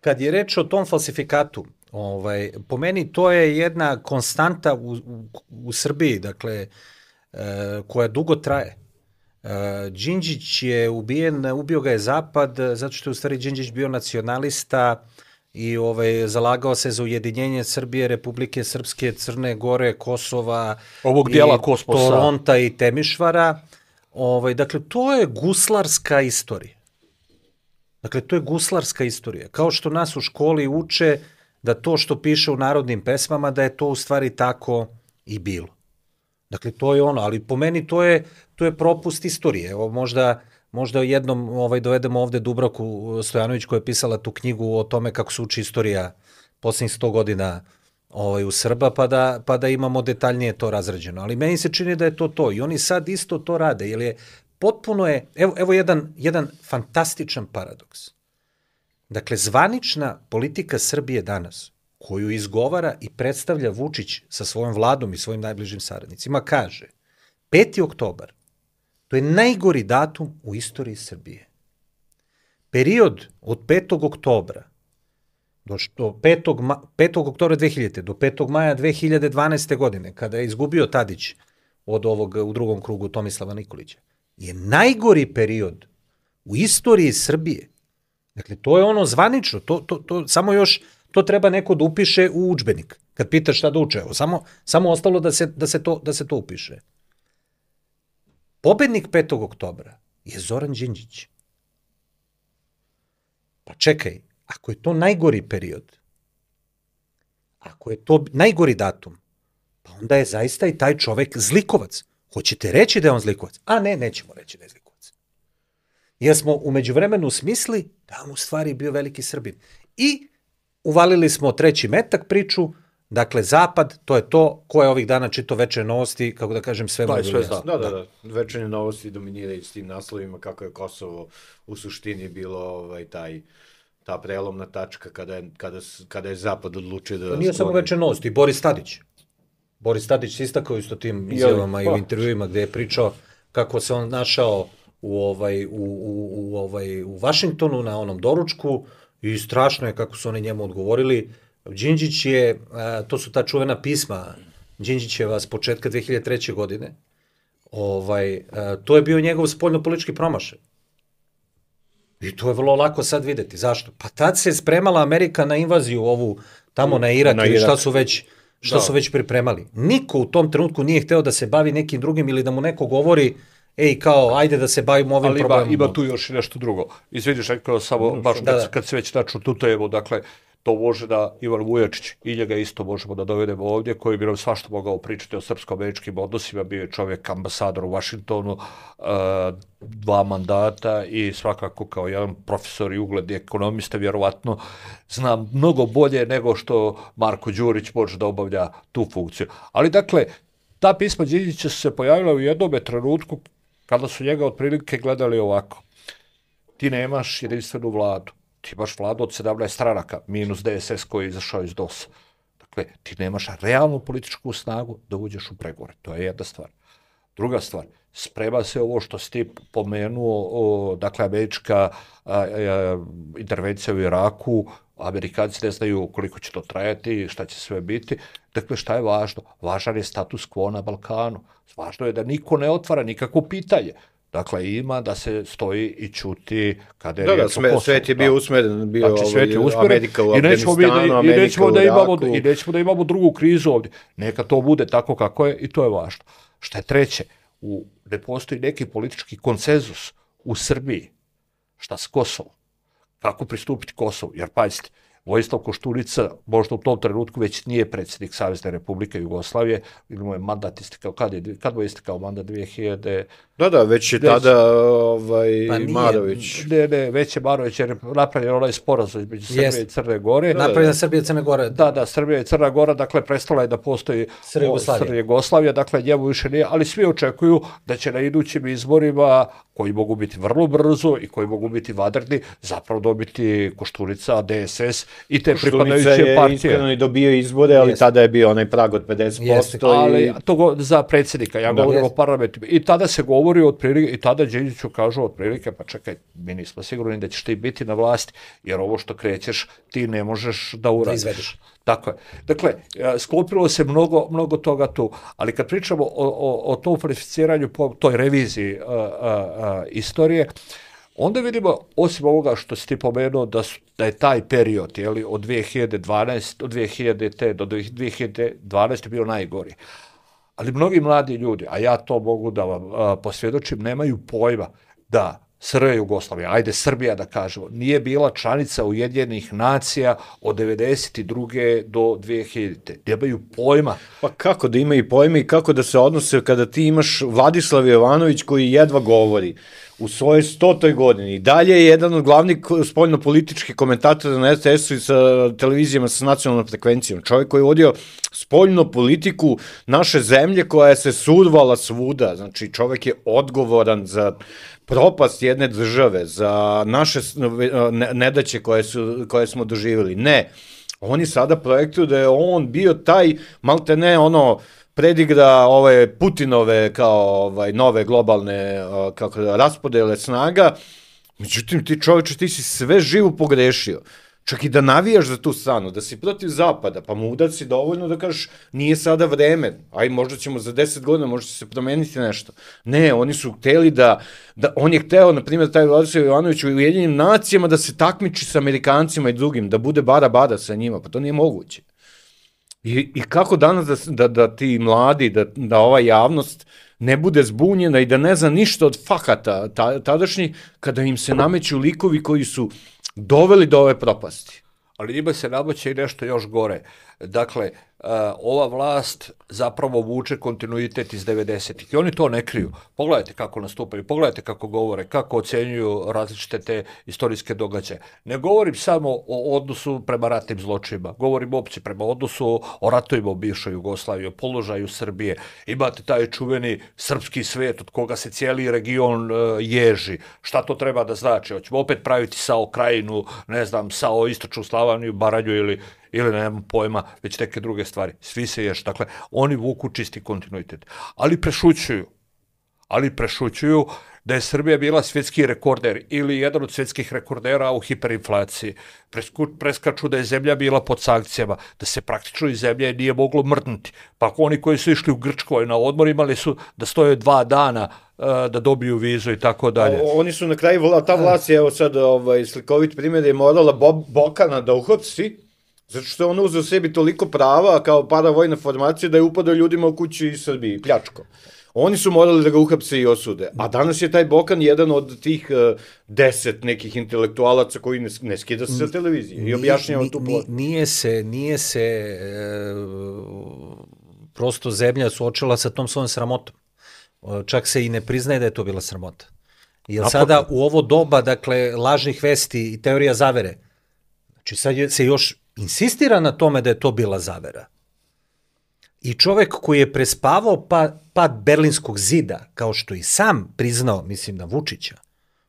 Kad je reč o tom falsifikatu, ovaj, po meni to je jedna konstanta u, u, u Srbiji, dakle, e, koja dugo traje. E, Đinđić je ubijen, ubio ga je Zapad, zato što je u stvari Đinđić bio nacionalista i ovaj, zalagao se za ujedinjenje Srbije, Republike Srpske, Crne Gore, Kosova, ovog dijela kosmosa, Toronta i Temišvara. Ovaj, dakle, to je guslarska istorija. Dakle, to je guslarska istorija. Kao što nas u školi uče da to što piše u narodnim pesmama, da je to u stvari tako i bilo. Dakle, to je ono, ali po meni to je, to je propust istorije. Evo, možda, možda jednom ovaj, dovedemo ovde Dubravku Stojanović koja je pisala tu knjigu o tome kako se uči istorija posljednjih sto godina ovaj, u Srba, pa da, pa da imamo detaljnije to razrađeno. Ali meni se čini da je to to. I oni sad isto to rade, jer je potpuno je, evo, evo jedan, jedan fantastičan paradoks. Dakle, zvanična politika Srbije danas, koju izgovara i predstavlja Vučić sa svojom vladom i svojim najbližim saradnicima, kaže peti oktobar, to je najgori datum u istoriji Srbije. Period od petog oktobra do što petog, petog oktobra dve hiljadite do petog maja dve hiljade dvanaeste. godine, kada je izgubio Tadić od ovog u drugom krugu Tomislava Nikolića, je najgori period u istoriji Srbije. Dakle, to je ono zvanično, to, to, to, samo još to treba neko da upiše u udžbenik. Kad pitaš šta da uče, evo, samo, samo ostalo da se, da, se to, da se to upiše. Pobednik petog oktobra je Zoran Đinđić. Pa čekaj, ako je to najgori period, ako je to najgori datum, pa onda je zaista i taj čovek zlikovac. Hoćete reći da je on zlikovac? A ne, nećemo reći da je zlikovac. Jer smo u međuvremenu smisli da on u stvari bio veliki Srbin. I uvalili smo treći metak priču, dakle Zapad, to je to ko je ovih dana čitao Večernje novosti, kako da kažem, sve mogu jasno. Da, da, da. Večernje novosti dominiraju s tim naslovima kako je Kosovo u suštini bilo ovaj, taj ta prelomna tačka kada je, kada, kada je Zapad odlučio da... To nije samo Večernje novosti, Boris Tadić. Boris Tadić se istakao isto tim izjavama i u intervjuima gde je pričao kako se on našao u, ovaj, u, u, u, ovaj, u Vašingtonu na onom doručku i strašno je kako su oni njemu odgovorili. Đinđić je, a, to su ta čuvena pisma Đinđićeva s početka dve hiljade treće. godine, ovaj, a, to je bio njegov spoljnopolitički promašaj. I to je vrlo lako sad videti. Zašto? Pa tad se spremala Amerika na invaziju ovu tamo na Irak, na Irak. Ili šta su već... što da. su već pripremali. Niko u tom trenutku nije hteo da se bavi nekim drugim ili da mu neko govori, ej, kao, ajde da se bavimo ovim ali problemom. Ali ima, ima tu još i nešto drugo. Izvidiš, rekao samo, baš da, kad, da. kad se već naču tutajemo, dakle, to može da Ivan Vujačić, i njega isto možemo da dovedemo ovdje, koji bi nam svašta mogao pričati o srpsko-američkim odnosima, bio je čovjek ambasador u Vašingtonu, uh, dva mandata i svakako kao jedan profesor i ugledni ekonomista, vjerovatno zna mnogo bolje nego što Marko Đurić može da obavlja tu funkciju. Ali dakle, ta pisma Đinđića su se pojavila u jednom trenutku kada su njega otprilike gledali ovako. Ti nemaš jedinstvenu vladu. ti imaš vladu od sedamnaest stranaka, minus D S S koji je izašao iz D O S-a. Dakle, ti nemaš realnu političku snagu da uđeš u pregovore. To je jedna stvar. Druga stvar, sprema se ovo što si ti pomenuo, o, dakle, američka a, a, intervencija u Iraku, Amerikanci ne znaju koliko će to trajati, šta će sve biti. Dakle, šta je važno? Važan je status quo na Balkanu. Važno je da niko ne otvara nikakvo pitanje. Dakle, ima da se stoji i ćuti kada je da, riječ da, sve, o Kosovu. Svet je bio usmeren, bio znači, svet je usmeren, Amerika u i nećemo, Afganistanu, da, Amerika i nećemo u da imamo, Iraku. I nećemo da imamo drugu krizu ovdje. Neka to bude tako kako je i to je važno. Šta je treće? U, ne postoji neki politički konsenzus u Srbiji. Šta s Kosovom? Kako pristupiti Kosovu? Jer pazite, Vojislav Koštunica možda u tom trenutku već nije predsjednik Savezne Republike Jugoslavije, ili mu je mandat istekao, kad, je, kad mu je istekao mandat dvije hiljade? Da, da, već je već, tada ovaj, pa Marović. Ne, ne, već je Marović, jer je napravljen onaj sporazum između Srbije yes. i Crne Gore. Napravljena Srbija i Crne Gore. Da, da, Srbija i Crna Gora, dakle, prestala je da postoji Srbija Jugoslavija, dakle, njemu više nije, ali svi očekuju da će na idućim izborima, koji mogu biti vrlo brzo i koji mogu biti vanredni, zapravo dobiti Koštunica, D S S i te pripadajuće partije. Koštunica je iskreno i dobio izbore, ali yes. tada je bio onaj prag od pedeset posto. Yes. Ali i... to go, za predsjednika, ja govorim yes. o parlamentima. I tada se govori otprilike, i tada Đinđiću kažu otprilike, pa čekaj, mi nismo sigurni da ćeš ti biti na vlasti, jer ovo što krećeš ti ne možeš da uradiš. Da izvedeš. Tako je. Dakle, sklopilo se mnogo, mnogo toga tu, ali kad pričamo o, o, o tom falsificiranju, po toj reviziji a, a, a, istorije, onda vidimo, osim ovoga što si ti pomenuo, da, su, da je taj period, jeli, od dvije hiljade dvanaeste od dvije hiljade do dvije hiljade dvanaeste bio najgori. Ali mnogi mladi ljudi, a ja to mogu da vam a, posvjedočim, nemaju pojma da S R Jugoslavija, ajde Srbija da kažemo, nije bila članica Ujedinjenih nacija od devedeset druge do dvije hiljadite. Nemaju pojma. Pa kako da imaju pojma i kako da se odnose kada ti imaš Vladislav Jovanović koji jedva govori u svojoj stotoj godini. I dalje je jedan od glavnih spoljno-političkih komentatora na R T S-u i sa televizijama sa nacionalnom frekvencijom. Čovjek koji je vodio spoljnu politiku naše zemlje koja je se survala svuda. Znači, čovjek je odgovoran za propast jedne države, za naše nedaće koje, su, koje smo doživjeli. Ne, oni sada projektuju da je on bio taj, malte ne, ono, predigra ove Putinove kao ovaj, nove globalne kako da, raspodele snaga. Međutim, ti čovječe, ti si sve živo pogrešio. Čak i da navijaš za tu stranu, da si protiv Zapada, pa mu udati si dovoljno da kažeš nije sada vreme, aj možda ćemo za deset godina, možda će se promeniti nešto. Ne, oni su hteli da, da on je hteo, na primjer, taj Vladislav Jovanović u Ujedinjenim nacijama da se takmiči sa Amerikancima i drugim, da bude bara-bara sa njima, pa to nije moguće. I, i kako danas da, da, da ti mladi, da, da ova javnost ne bude zbunjena i da ne zna ništa od fakata ta, tadašnjih, kada im se nameću likovi koji su doveli do ove propasti. Ali njima se nameće i nešto još gore. Dakle, uh, ova vlast zapravo vuče kontinuitet iz devedesetih i oni to ne kriju. Pogledajte kako nastupaju, pogledajte kako govore, kako ocenjuju različite te istorijske događaje. Ne govorim samo o odnosu prema ratnim zločinima, govorim opće prema odnosu o ratovima u bivšoj Jugoslaviji, o položaju Srbije. Imate taj čuveni srpski svet od koga se cijeli region uh, ježi. Šta to treba da znači? Hoćemo opet praviti Sao Krajinu, ne znam, Sao Istočnu Slavoniju, Baranju ili ili nemam pojma, već neke druge stvari. Svi se ješ. Dakle, oni vuku čisti kontinuitet. Ali prešućuju. Ali prešućuju da je Srbija bila svjetski rekorder ili jedan od svjetskih rekordera u hiperinflaciji. Presku, preskaču da je zemlja bila pod sankcijama, da se praktično iz zemlje nije moglo mrdnuti. Pa oni koji su išli u Grčkoj na odmor imali su da stoje dva dana uh, da dobiju vizu i tako dalje. Oni su na kraju, ta vlast je, evo sad ovaj, slikovit primjer, je morala Bob, Bokana da uhapsi, zato što je on uzeo sebi toliko prava kao paravojna formacija da je upadao ljudima u kući iz Srbiji, pljačko. Oni su morali da ga uhapse i osude. A danas je taj Bokan jedan od tih uh, deset nekih intelektualaca koji ne, ne skida se sa televizije i objašnjava tu plot. Nije se, nije se e, prosto zemlja suočila sa tom svojom sramotom. Čak se i ne priznaje da je to bila sramota. Jer sada u ovo doba, dakle, lažnih vesti i teorija zavere, znači sad se još insistira na tome da je to bila zavera. I čovek koji je prespavao pa, pad Berlinskog zida, kao što i sam priznao, mislim na Vučića,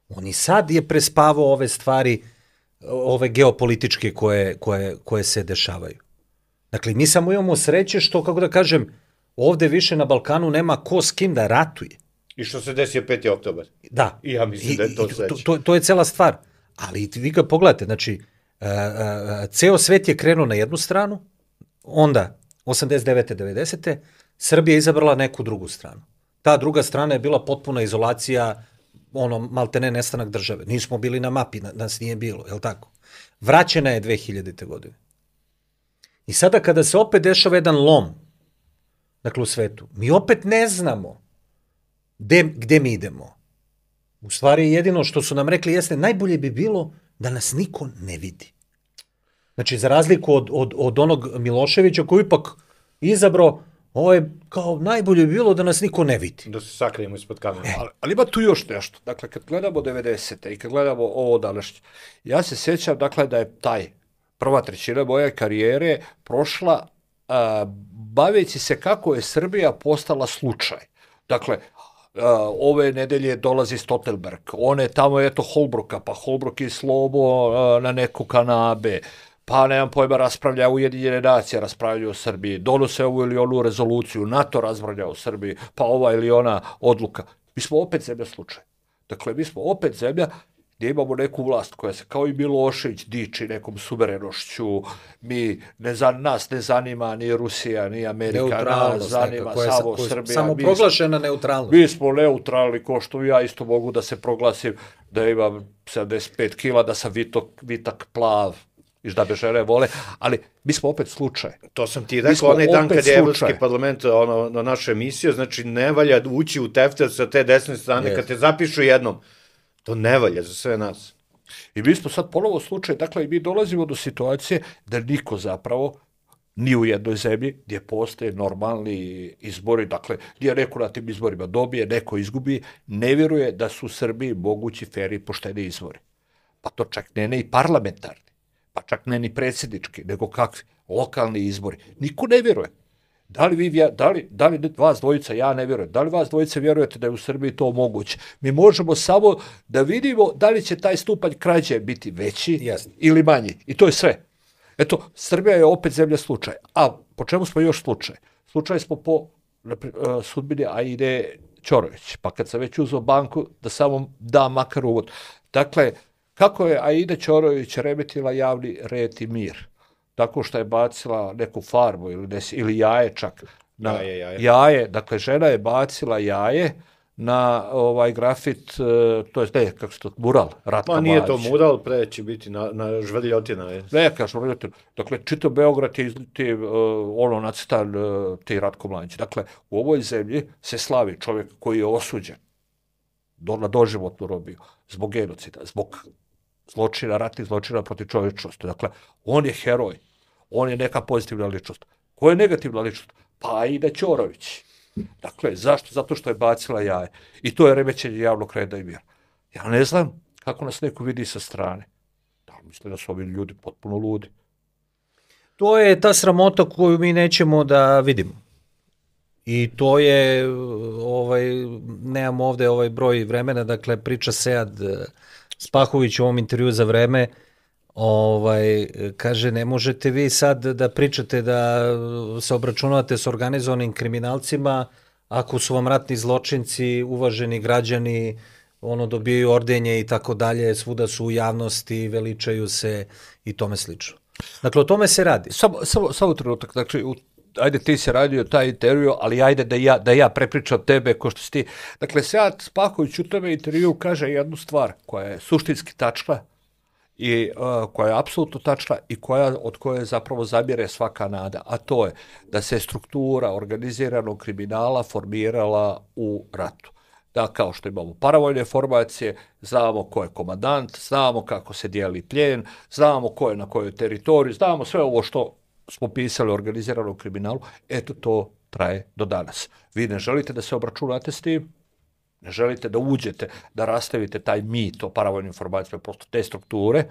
on i sad je prespavao ove stvari ove geopolitičke koje, koje, koje se dešavaju. Dakle, mi samo imamo sreće što, kako da kažem, ovde više na Balkanu nema ko s kim da ratuje. I što se desio peti oktobar. Da. I ja mislim I, da je to sreće. To, to, to je cela stvar. Ali vi ga pogledate, znači, uh, uh, ceo svet je krenuo na jednu stranu, onda, osamdeset devete devedesete Srbija je izabrala neku drugu stranu. Ta druga strana je bila potpuna izolacija, ono, maltene nestanak države. Nismo bili na mapi, nas nije bilo, je li tako? Vraćena je dve hiljadite godine. I sada kada se opet dešava jedan lom, dakle u svetu, mi opet ne znamo gde, gde mi idemo. U stvari jedino što su nam rekli jeste, najbolje bi bilo da nas niko ne vidi. Znači, za razliku od, od, od onog Miloševića koji ipak izabrao, ovo je kao najbolje bi bilo da nas niko ne vidi. Da se sakrijemo ispod kamera. E, ali, ali ima tu još nešto. Dakle, kad gledamo devedesete i kad gledamo ovo današnje, ja se sjećam, dakle, da je taj prva trećina moje karijere prošla a, baveći se kako je Srbija postala slučaj. Dakle, Uh, ove nedelje dolazi Stoltenberg, one tamo eto Holbruka, pa Holbruk i Slobo uh, na neku kanabe, pa nemam pojma raspravlja Ujedinjene nacije, raspravljaju o Srbiji, donose ovu ili onu rezoluciju, NATO raspravlja o Srbiji, pa ova ili ona odluka. Mi smo opet zemlja slučaj. Dakle, mi smo opet zemlja gdje imamo neku vlast koja se kao i Milošević diči nekom suverenošću, mi ne za, nas ne zanima ni Rusija, ni Amerika, nas zanima neka, samo je, Srbija. Samo proglašena neutralnost. Mi smo neutralni, ko što ja isto mogu da se proglasim da imam sedamdeset pet kila, da sam vitok, vitak plav, i da me žene vole, ali mi smo opet slučaj. To sam ti rekao onaj dan kad je Evropski parlament ono, na našu emisiju, znači ne valja ući u tefter sa te desne strane, yes. Kad te zapišu jednom. To ne valja za sve nas. I mi smo sad ponovo slučaj, dakle, mi dolazimo do situacije da niko zapravo ni u jednoj zemlji gdje postoje normalni izbori, dakle, gdje neko na tim izborima dobije, neko izgubi, ne vjeruje da su u Srbiji mogući fer i pošteni izbori. Pa to čak ne, ne i parlamentarni, pa čak ne ni predsjednički, nego kakvi lokalni izbori. Niko ne vjeruje. Da li, vi, da, li, da li vas dvojica, ja ne vjerujem, da li vas dvojica vjerujete da je u Srbiji to moguće? Mi možemo samo da vidimo da li će taj stupanj krađe biti veći Jasne. ili manji. I to je sve. Eto, Srbija je opet zemlja slučaj. A po čemu smo još slučaj? Slučaj smo po uh, sudbini Aide Ćorović. Pa kad sam već uzeo banku, da samo da makar uvod. Dakle, kako je Aida Ćorović remetila javni red i mir? Tako što je bacila neku farbu ili, des, ili jaje čak. Na jaje, jaje. jaje, dakle žena je bacila jaje na ovaj grafit, to je ne, kako se to, mural, Ratka Ma nije Mladića. to mural, pre će biti na, na žvrljotina. Je. Neka žvrljotina. Dakle, čito Beograd je ti, uh, ono nacrtan uh, ti Ratko Mladić. Dakle, u ovoj zemlji se slavi čovjek koji je osuđen do, na doživotnu robiju zbog genocida, zbog zločina, ratnih zločina protiv čovječnosti. Dakle, on je heroj. On je neka pozitivna ličnost. Ko je negativna ličnost? Pa Aida Ćorović. Dakle, zašto? Zato što je bacila jaje. I to je remećenje javnog reda i mira. Ja ne znam kako nas neko vidi sa strane. Da li misle da su ovi ljudi potpuno ludi? To je ta sramota koju mi nećemo da vidimo. I to je, ovaj, nemam ovde ovaj broj vremena, dakle, priča Sead Spahović u ovom intervju za Vreme, ovaj, kaže, ne možete vi sad da pričate da se obračunavate s organizovanim kriminalcima ako su vam ratni zločinci, uvaženi građani, ono, dobijaju ordenje i tako dalje, svuda su u javnosti, veličaju se i tome slično. Dakle, o tome se radi. Samo, samo, samo trenutak, znači, u, ajde ti se radio taj intervju, ali ajde da ja, da ja prepričam tebe ko što si ti. Dakle, Sead Spahović u tome intervju kaže jednu stvar koja je suštinski tačna i uh, koja je apsolutno tačna i koja, od koje zapravo zamire svaka nada, a to je da se struktura organiziranog kriminala formirala u ratu. Da, kao što imamo paravojne formacije, znamo ko je komandant, znamo kako se dijeli plijen, znamo ko je na kojoj teritoriji, znamo sve ovo što smo pisali o organiziranom kriminalu, eto to traje do danas. Vi ne želite da se obračunate s tim, ne želite da uđete, da rastavite taj mit o paravojnim formacijama, prosto te strukture,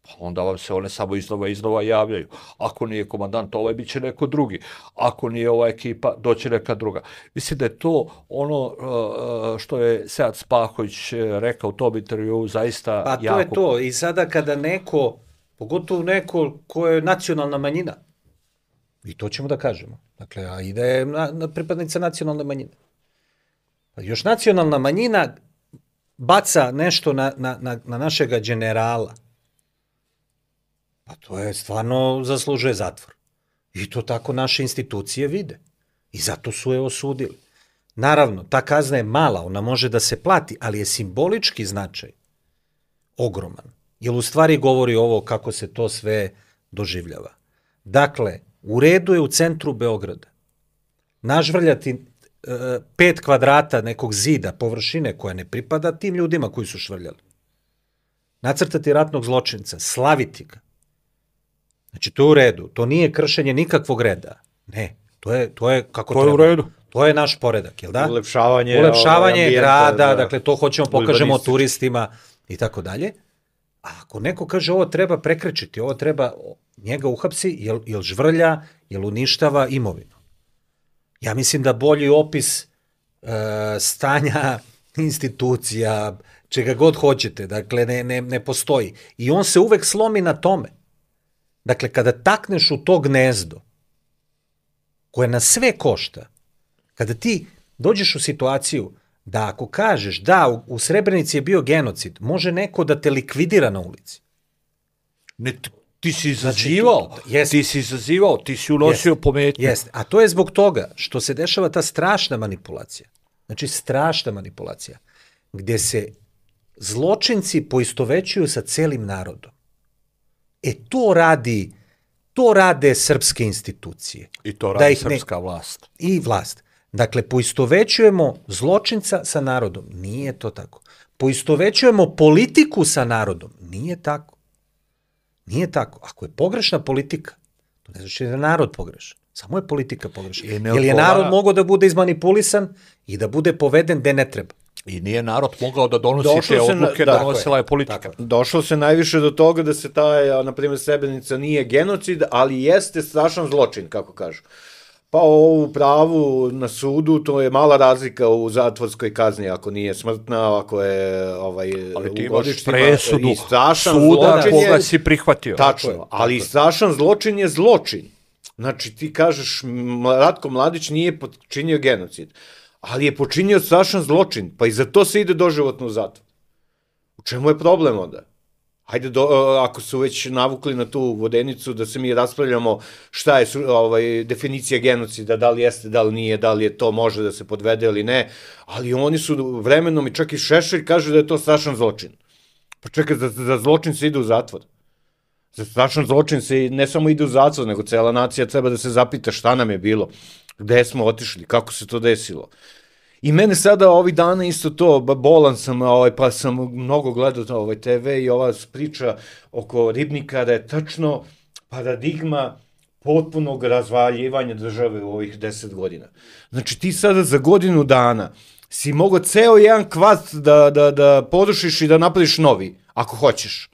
Pa onda vam se one samo iznova iznova javljaju. Ako nije komandant ovaj, bit će neko drugi. Ako nije ova ekipa, doće neka druga. Mislim da je to ono što je Sead Spahović rekao u tom intervju zaista jako... Pa to jako... je to. I sada kada neko, pogotovo neko ko je nacionalna manjina, i to ćemo da kažemo, dakle, a i da je na, na pripadnica nacionalne manjine. Pa još nacionalna manjina baca nešto na, na, na, na našega generala, pa to je stvarno zaslužuje zatvor. I to tako naše institucije vide. I zato su je osudili. Naravno, ta kazna je mala, ona može da se plati, ali je simbolički značaj ogroman. Jer u stvari govori ovo kako se to sve doživljava. Dakle, u redu je u centru Beograda nažvrljati e, pet kvadrata nekog zida, površine koja ne pripada tim ljudima koji su švrljali. Nacrtati ratnog zločinca, slaviti ga. Znači, to je u redu. To nije kršenje nikakvog reda. Ne, to je, to je kako to treba. To je u redu. To je naš poredak, jel da? Ulepšavanje, Ulepšavanje ambijenta, grada, da, dakle, to hoćemo pokažemo turistima i tako dalje. A ako neko kaže ovo treba prekrečiti, ovo treba njega uhapsi, jel, jel žvrlja, jel uništava imovinu. Ja mislim da bolji opis e, stanja institucija, čega god hoćete, dakle, ne, ne, ne postoji. I on se uvek slomi na tome. Dakle, kada takneš u to gnezdo, koje nas sve košta, kada ti dođeš u situaciju da ako kažeš da u, u Srebrenici je bio genocid, može neko da te likvidira na ulici. Ne, ti si izazivao, znači, ti si izazivao, ti si unosio pometnje. Jeste, a to je zbog toga što se dešava ta strašna manipulacija. Znači, strašna manipulacija, gde se zločinci poistovećuju sa celim narodom. E, to radi, to rade srpske institucije. I to radi srpska ne, vlast. I vlast. Dakle, poistovećujemo zločinca sa narodom. Nije to tako. Poistovećujemo politiku sa narodom. Nije tako. Nije tako. Ako je pogrešna politika, to ne znači da je narod pogrešan. Samo je politika pogrešna. Jer je narod mogao da bude izmanipulisan i da bude poveden gde ne treba. I nije narod mogao da donosi Došlo te odluke, na, da, donosila je politika. Tako. Došlo se najviše do toga da se ta, na primjer, Srebrenica nije genocid, ali jeste strašan zločin, kako kažu. Pa ovu pravu na sudu, to je mala razlika u zatvorskoj kazni, ako nije smrtna, ako je ovaj, ali ti imaš presudu i strašan suda zločin koga je, si prihvatio. Tačno, tako je, ali tako strašan zločin je zločin. Znači ti kažeš Ratko Mladić nije počinio genocid, ali je počinio strašan zločin, pa i za to se ide doživotno u zatvor. U čemu je problem onda? Hajde, do, ako su već navukli na tu vodenicu, da se mi raspravljamo šta je ovaj, definicija genocida, da li jeste, da li nije, da li je to može da se podvede ili ne, ali oni su vremenom i čak i Šešelj kaže da je to strašan zločin. Pa čekaj, za, za zločin se ide u zatvor. Za strašan zločin se ne samo ide u zatvor, nego cela nacija treba da se zapita šta nam je bilo, gde smo otišli, kako se to desilo. I mene sada ovih dana isto to, bolan sam, ovaj, pa sam mnogo gledao ovaj te ve i ova priča oko Ribnikara je tačno paradigma potpunog razvaljivanja države u ovih deset godina. Znači ti sada za godinu dana si mogao ceo jedan kvart da, da, da porušiš i da napraviš novi, ako hoćeš.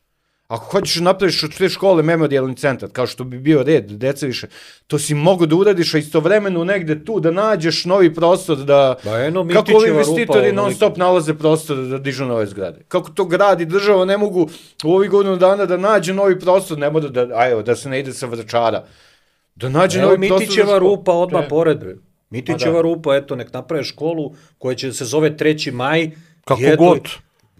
Ako hoćeš da napraviš od te škole memorijalni centar, kao što bi bio red, deca više, to si mogo da uradiš, a istovremeno negde tu da nađeš novi prostor, da... Ba eno, kako ovi investitori non stop nalaze prostor da dižu nove zgrade. Kako to grad i država ne mogu u ovih godinu dana da nađe novi prostor, ne mora da, a evo, da se ne ide sa Vračara. Da nađe evo, novi prostor... Mitićeva rupa odmah te... pored, bre. Mitićeva rupa, eto, nek naprave školu koja će se zove treći maj. Kako eto, god...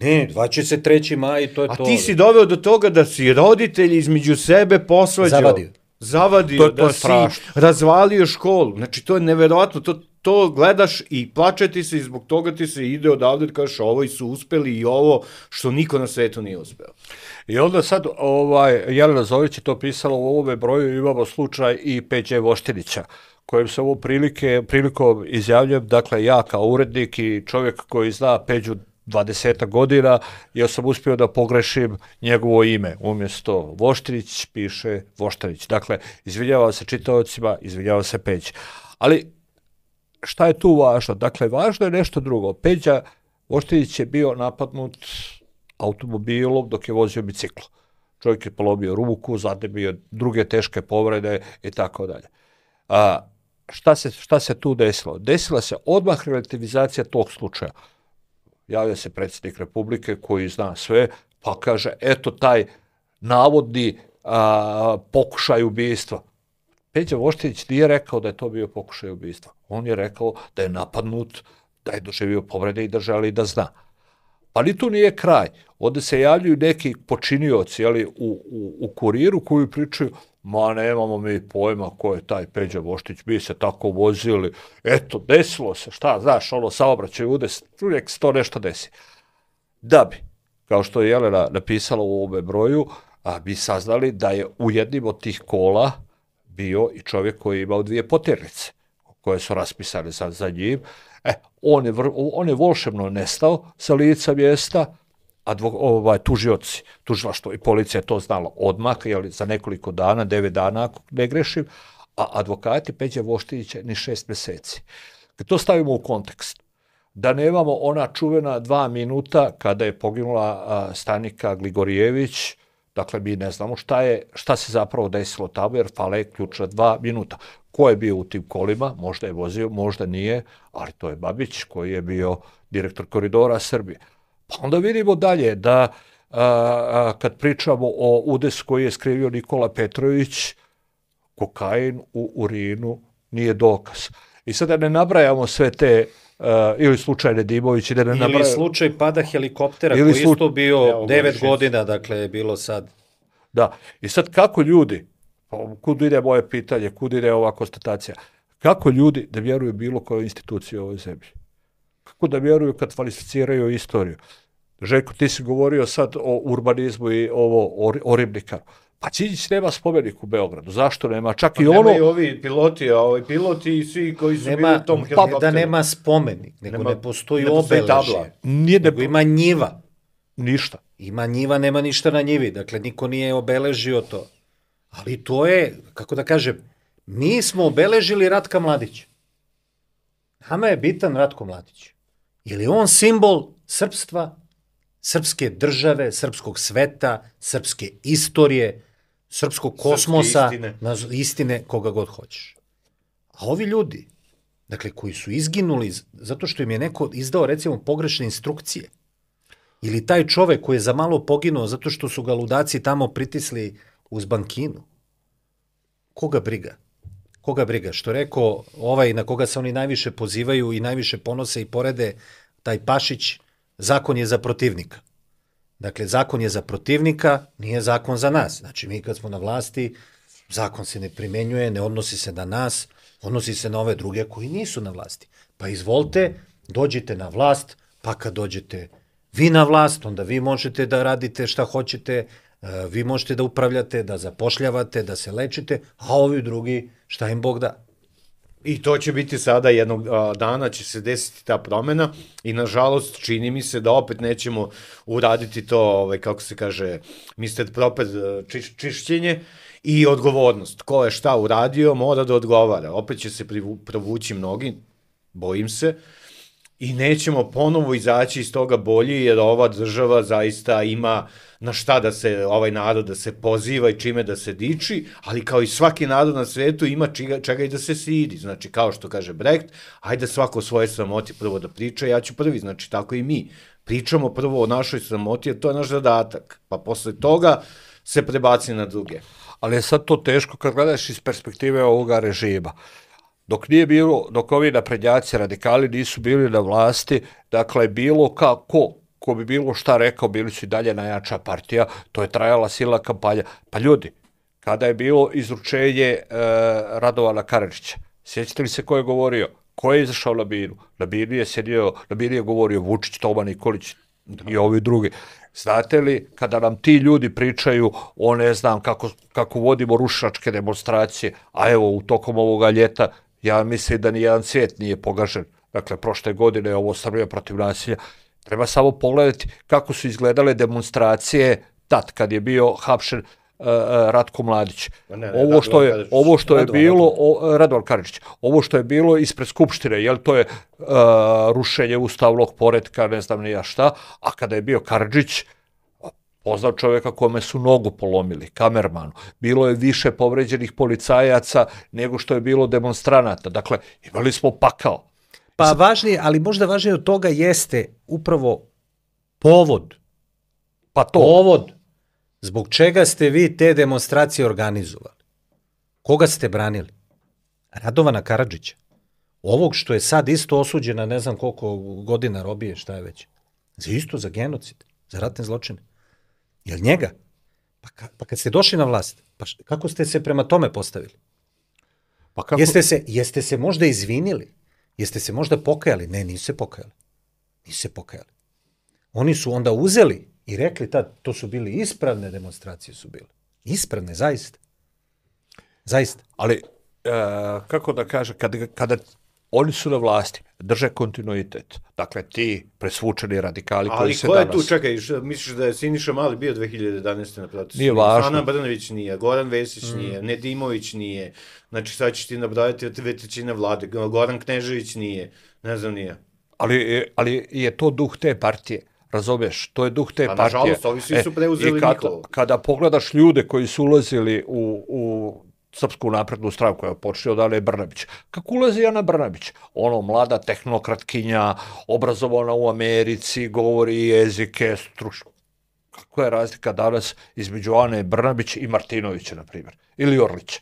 Ne, dvadeset treći maj, to je a to. A ti si doveo do toga da si roditelji između sebe posvađao. Zavadio. Zavadio, to, to da si razvalio školu. Znači, to je neverovatno. To, to gledaš i plače ti se i zbog toga ti se ide odavde i kažeš ovo su uspeli i ovo što niko na svetu nije uspeo. I onda sad, ovaj, Jelena Zović je to pisala u ovome broju, imamo slučaj i Peđe Voštinića, kojem se ovo prilike, prilikom izjavljujem, dakle, ja kao urednik i čovjek koji zna Peđu dvadeset godina, ja sam uspio da pogrešim njegovo ime. Umjesto Voštinić piše Voštanić. Dakle, izvinjavam se čitaocima, izvinjavam se Peđi. Ali šta je tu važno? Dakle, važno je nešto drugo. Peđa Voštinić je bio napadnut automobilom dok je vozio biciklo. čovjek je polomio ruku, zadebio druge teške povrede i tako dalje. A, šta se, šta se tu desilo? Desila se odmah relativizacija tog slučaja. Javlja se predsjednik Republike koji zna sve, pa kaže, eto taj navodni a, pokušaj ubistva. Peđa Voštić nije rekao da je to bio pokušaj ubistva. On je rekao da je napadnut, da je doživio povrede i da želi da zna. Pa ni tu nije kraj. Ovdje se javljaju neki počinioci, jeli, u, u, u Kuriru koji pričaju, ma nemamo mi pojma ko je taj Peđa Voštić, mi se tako vozili, eto, desilo se, šta, znaš, ono, saobraćaj udes, uvijek se to nešto desi. Da bi, kao što je Jelena napisala u ovome broju, a, bi saznali da je u jednim od tih kola bio i čovjek koji je imao dvije poternice, koje su raspisane za, za njim. E, on je, vr, on je volšebno nestao sa lica mjesta, a dvo, ovaj, tužioci, tužilaštvo i policija je to znala odmah, jeli, za nekoliko dana, devet dana, ako ne grešim, a advokati Peđe Voštića ni šest mjeseci. Kad to stavimo u kontekst, da nemamo ona čuvena dva minuta kada je poginula a, Stanika Gligorijević, dakle, mi ne znamo šta je, šta se zapravo desilo tamo, jer fale ključna dva minuta. Ko je bio u tim kolima? Možda je vozio, možda nije, ali to je Babić koji je bio direktor Koridora Srbije. Pa onda vidimo dalje da a, a, kad pričamo o udesu koji je skrivio Nikola Petrović, kokain u urinu nije dokaz. I sada ne nabrajamo sve te Uh, ili slučaj Nedimović, da ne ili nabraju... slučaj pada helikoptera ili koji slu... isto bio devet godina, dakle je bilo sad. Da, i sad kako ljudi, kud ide moje pitanje, kud ide ova konstatacija, kako ljudi da vjeruju bilo kojoj instituciji u ovoj zemlji? Kako da vjeruju kad falsificiraju istoriju? Željko, ti si govorio sad o urbanizmu i ovo o, o ribnikaru. Pa Đinđić nema spomenik u Beogradu. Zašto nema? Čak pa i ono... Nema i ovi piloti, a ovi piloti i svi koji su nema, bili u tom helikopteru. Pa da nema spomenik, nego nema, ne postoji ne obeležje. Nije nego ne... ima njiva. Ništa. Ima njiva, nema ništa na njivi. Dakle, niko nije obeležio to. Ali to je, kako da kažem, mi smo obeležili Ratka Mladića. Nama je bitan Ratko Mladić. Jer je on simbol srpstva, srpske države, srpskog sveta, srpske istorije, srpskog kosmosa, istine. Na, istine, koga god hoćeš. A ovi ljudi, dakle, koji su izginuli zato što im je neko izdao, recimo, pogrešne instrukcije, ili taj čovek koji je za malo poginuo zato što su ga ludaci tamo pritisli uz bankinu, koga briga? Koga briga? Što rekao ovaj na koga se oni najviše pozivaju i najviše ponose i porede, taj Pašić, zakon je za protivnika. Dakle, zakon je za protivnika, nije zakon za nas. Znači, mi kad smo na vlasti, zakon se ne primenjuje, ne odnosi se na nas, odnosi se na ove druge koji nisu na vlasti. Pa izvolite, dođite na vlast, pa kad dođete vi na vlast, onda vi možete da radite šta hoćete, vi možete da upravljate, da zapošljavate, da se lečite, a ovi drugi šta im Bog da. I to će biti sada jednog a, dana, će se desiti ta promena i nažalost čini mi se da opet nećemo uraditi to, ovaj, kako se kaže, mister Proped čiš, čišćenje i odgovornost. Ko je šta uradio, mora da odgovara. Opet će se provući mnogi, bojim se, i nećemo ponovo izaći iz toga bolji, jer ova država zaista ima na šta da se, ovaj narod da se poziva i čime da se diči, ali kao i svaki narod na svetu ima čega, čega i da se sidi. Znači, kao što kaže Brecht, ajde svako o svoje sramoti prvo da priča, ja ću prvi, znači tako i mi. Pričamo prvo o našoj sramoti, jer to je naš zadatak, pa posle toga se prebaci na druge. Ali je sad to teško kad gledaš iz perspektive ovoga režima. Dok nije bilo, dok ovi naprednjaci radikali nisu bili na vlasti, dakle, bilo kako, ko bi bilo šta rekao, bili su i dalje najjača partija, to je trajala silna kampanja. Pa ljudi, kada je bilo izručenje e, Radovana Karadžića, sjećate li se ko je govorio? Ko je izašao na binu? Na binu je sjedio, na binu je govorio Vučić, Toma Nikolić i ovi drugi. Znate li, kada nam ti ljudi pričaju o ne znam kako, kako vodimo rušilačke demonstracije, a evo u tokom ovoga ljeta, ja mislim da nijedan svijet nije pogažen. Dakle, prošle godine ovo Srbija protiv nasilja. Treba samo pogledati kako su izgledale demonstracije tad kad je bio hapšen uh, Ratko Mladić. Ne, ne, ovo što je, ovo što je Radovan, bilo, o, Radovan Karadžić, ovo što je bilo ispred Skupštine, jel to je uh, rušenje ustavnog poretka, ne znam ni ja šta, a kada je bio Karadžić, poznao čovjeka kome su nogu polomili, kamermanu. Bilo je više povređenih policajaca nego što je bilo demonstranata. Dakle, imali smo pakao. Pa važnije, ali možda važnije od toga jeste upravo povod. Pa to. Povod. Zbog čega ste vi te demonstracije organizovali? Koga ste branili? Radovana Karadžića. Ovog što je sad isto osuđena, ne znam koliko godina robije, šta je već. Za isto, za genocid, za ratne zločine. Jel njega? Pa, ka, pa kad ste došli na vlast, pa š, kako ste se prema tome postavili? Pa kako... Jeste se, jeste se možda izvinili? Jeste se možda pokajali? Ne, nisu se pokajali. Nisu se pokajali. Oni su onda uzeli i rekli tad, to su bili ispravne demonstracije su bile. Ispravne, zaista. Zaista. Ali, e, kako da kaže, kada, kada oni su na vlasti, drže kontinuitet. Dakle, ti presvučeni radikali koji se danas... Ali ko je tu, čekaj, misliš da je Siniša Mali bio dve hiljade jedanaeste na protestu? Nije važno. Ana Brnavić nije, Goran Vesić mm. nije, Nedimović nije, znači sad ćeš ti nabrojati od dve trećine vlade, Goran Knežević nije, ne znam nije. Ali, ali je to duh te partije. Razumeš, to je duh te pa, partije. Nažalost, ovi svi su preuzeli e, kad, njihovo. Kada pogledaš ljude koji su ulazili u, u Srpsku naprednu stranku, koja je počeo da je Brnabić. Kako ulazi Ana Brnabić? Ono, mlada tehnokratkinja, obrazovana u Americi, govori jezike, stručno. Kako je razlika danas između Ane Brnabić i Martinovića, na primjer? Ili Orlića?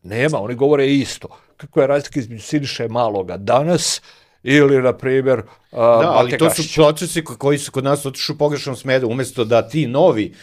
Nema, oni govore isto. Kako je razlika između Siniše Maloga danas ili, na primjer, uh, da, ali to su procesi koji su kod nas otišli u pogrešnom smeru, umjesto da ti novi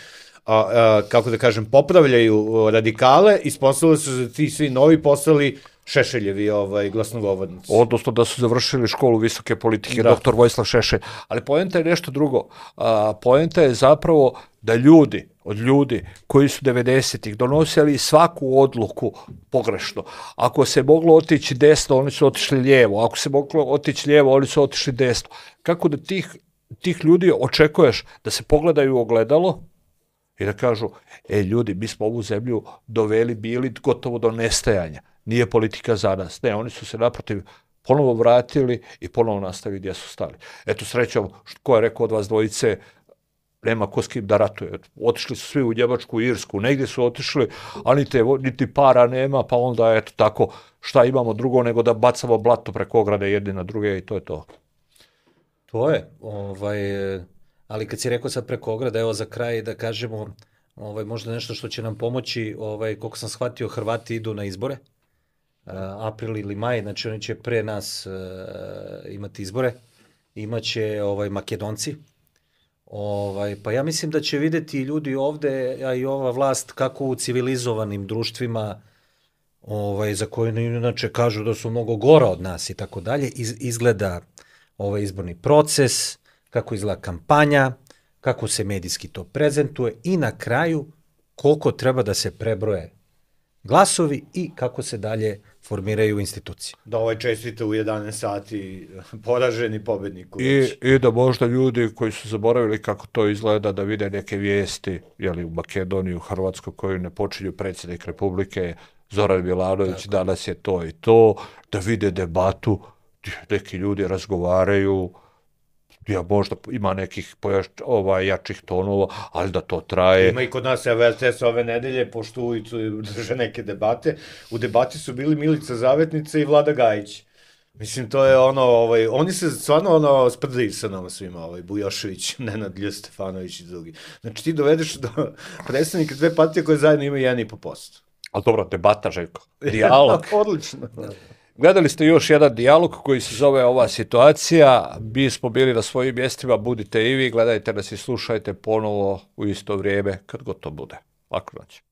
A, a, kako da kažem, popravljaju radikale, ispostavili su da ti svi novi postali Šešeljevi ovaj, glasnogovornici. Odnosno da su završili školu visoke politike, da. doktor Vojislav Šešelj. Ali poenta je nešto drugo. A, poenta je zapravo da ljudi, od ljudi koji su devedesetih donosili svaku odluku pogrešno. Ako se moglo otići desno, oni su otišli lijevo. Ako se moglo otići lijevo, oni su otišli desno. Kako da tih, tih ljudi očekuješ da se pogledaju u ogledalo i da kažu, e ljudi, mi smo ovu zemlju doveli, bili gotovo do nestajanja. Nije politika za nas. Ne, oni su se naprotiv ponovo vratili i ponovo nastavili gdje su stali. Eto, srećom, ko je rekao od vas dvojice, nema ko s kim da ratuje. Otišli su svi u Njemačku, Irsku, negdje su otišli, a niti, niti para nema, pa onda, eto, tako, šta imamo drugo nego da bacamo blato preko ograde jedni na druge i to je to. To je, ovaj... Ali kad si rekao sad preko ograda, evo za kraj da kažemo, ovaj, možda nešto što će nam pomoći, ovaj, koliko sam shvatio, Hrvati idu na izbore, uh, april ili maj, znači oni će pre nas uh, imati izbore, imaće ovaj, Makedonci, ovaj, pa ja mislim da će vidjeti ljudi ovde, a i ova vlast, kako u civilizovanim društvima, ovaj, za koje inače kažu da su mnogo gora od nas i tako dalje, izgleda ovaj izborni proces, kako izgleda kampanja, kako se medijski to prezentuje i na kraju koliko treba da se prebroje glasovi i kako se dalje formiraju institucije. Da ovaj čestite u jedanaest sati poraženi pobednik. I, I da možda ljudi koji su zaboravili kako to izgleda da vide neke vijesti jeli, u Makedoniji, u Hrvatskoj koju ne počinju predsjednik Republike Zoran Milanović, tako. Danas je to i to, da vide debatu, neki ljudi razgovaraju, ja možda ima nekih pojaš, ovaj, jačih tonova, ali da to traje. Ima i kod nas R T S ove nedelje, pošto ulicu drže neke debate. U debati su bili Milica Zavetnica i Vlada Gajić. Mislim, to je ono, ovaj, oni se stvarno ono sprdaju sa nama svima, ovaj, Bujošević, Nenad Lj. Stefanović i drugi. Znači, ti dovedeš do predstavnika dve partije koje zajedno imaju jedan i po posto. Ali dobro, debata, Željko. Dijalog. Odlično. Gledali ste još jedan dijalog koji se zove Ova situacija. Mi smo bili na svojim mjestima, budite i vi, gledajte nas i slušajte ponovo u isto vrijeme kad god to bude. Lako noć.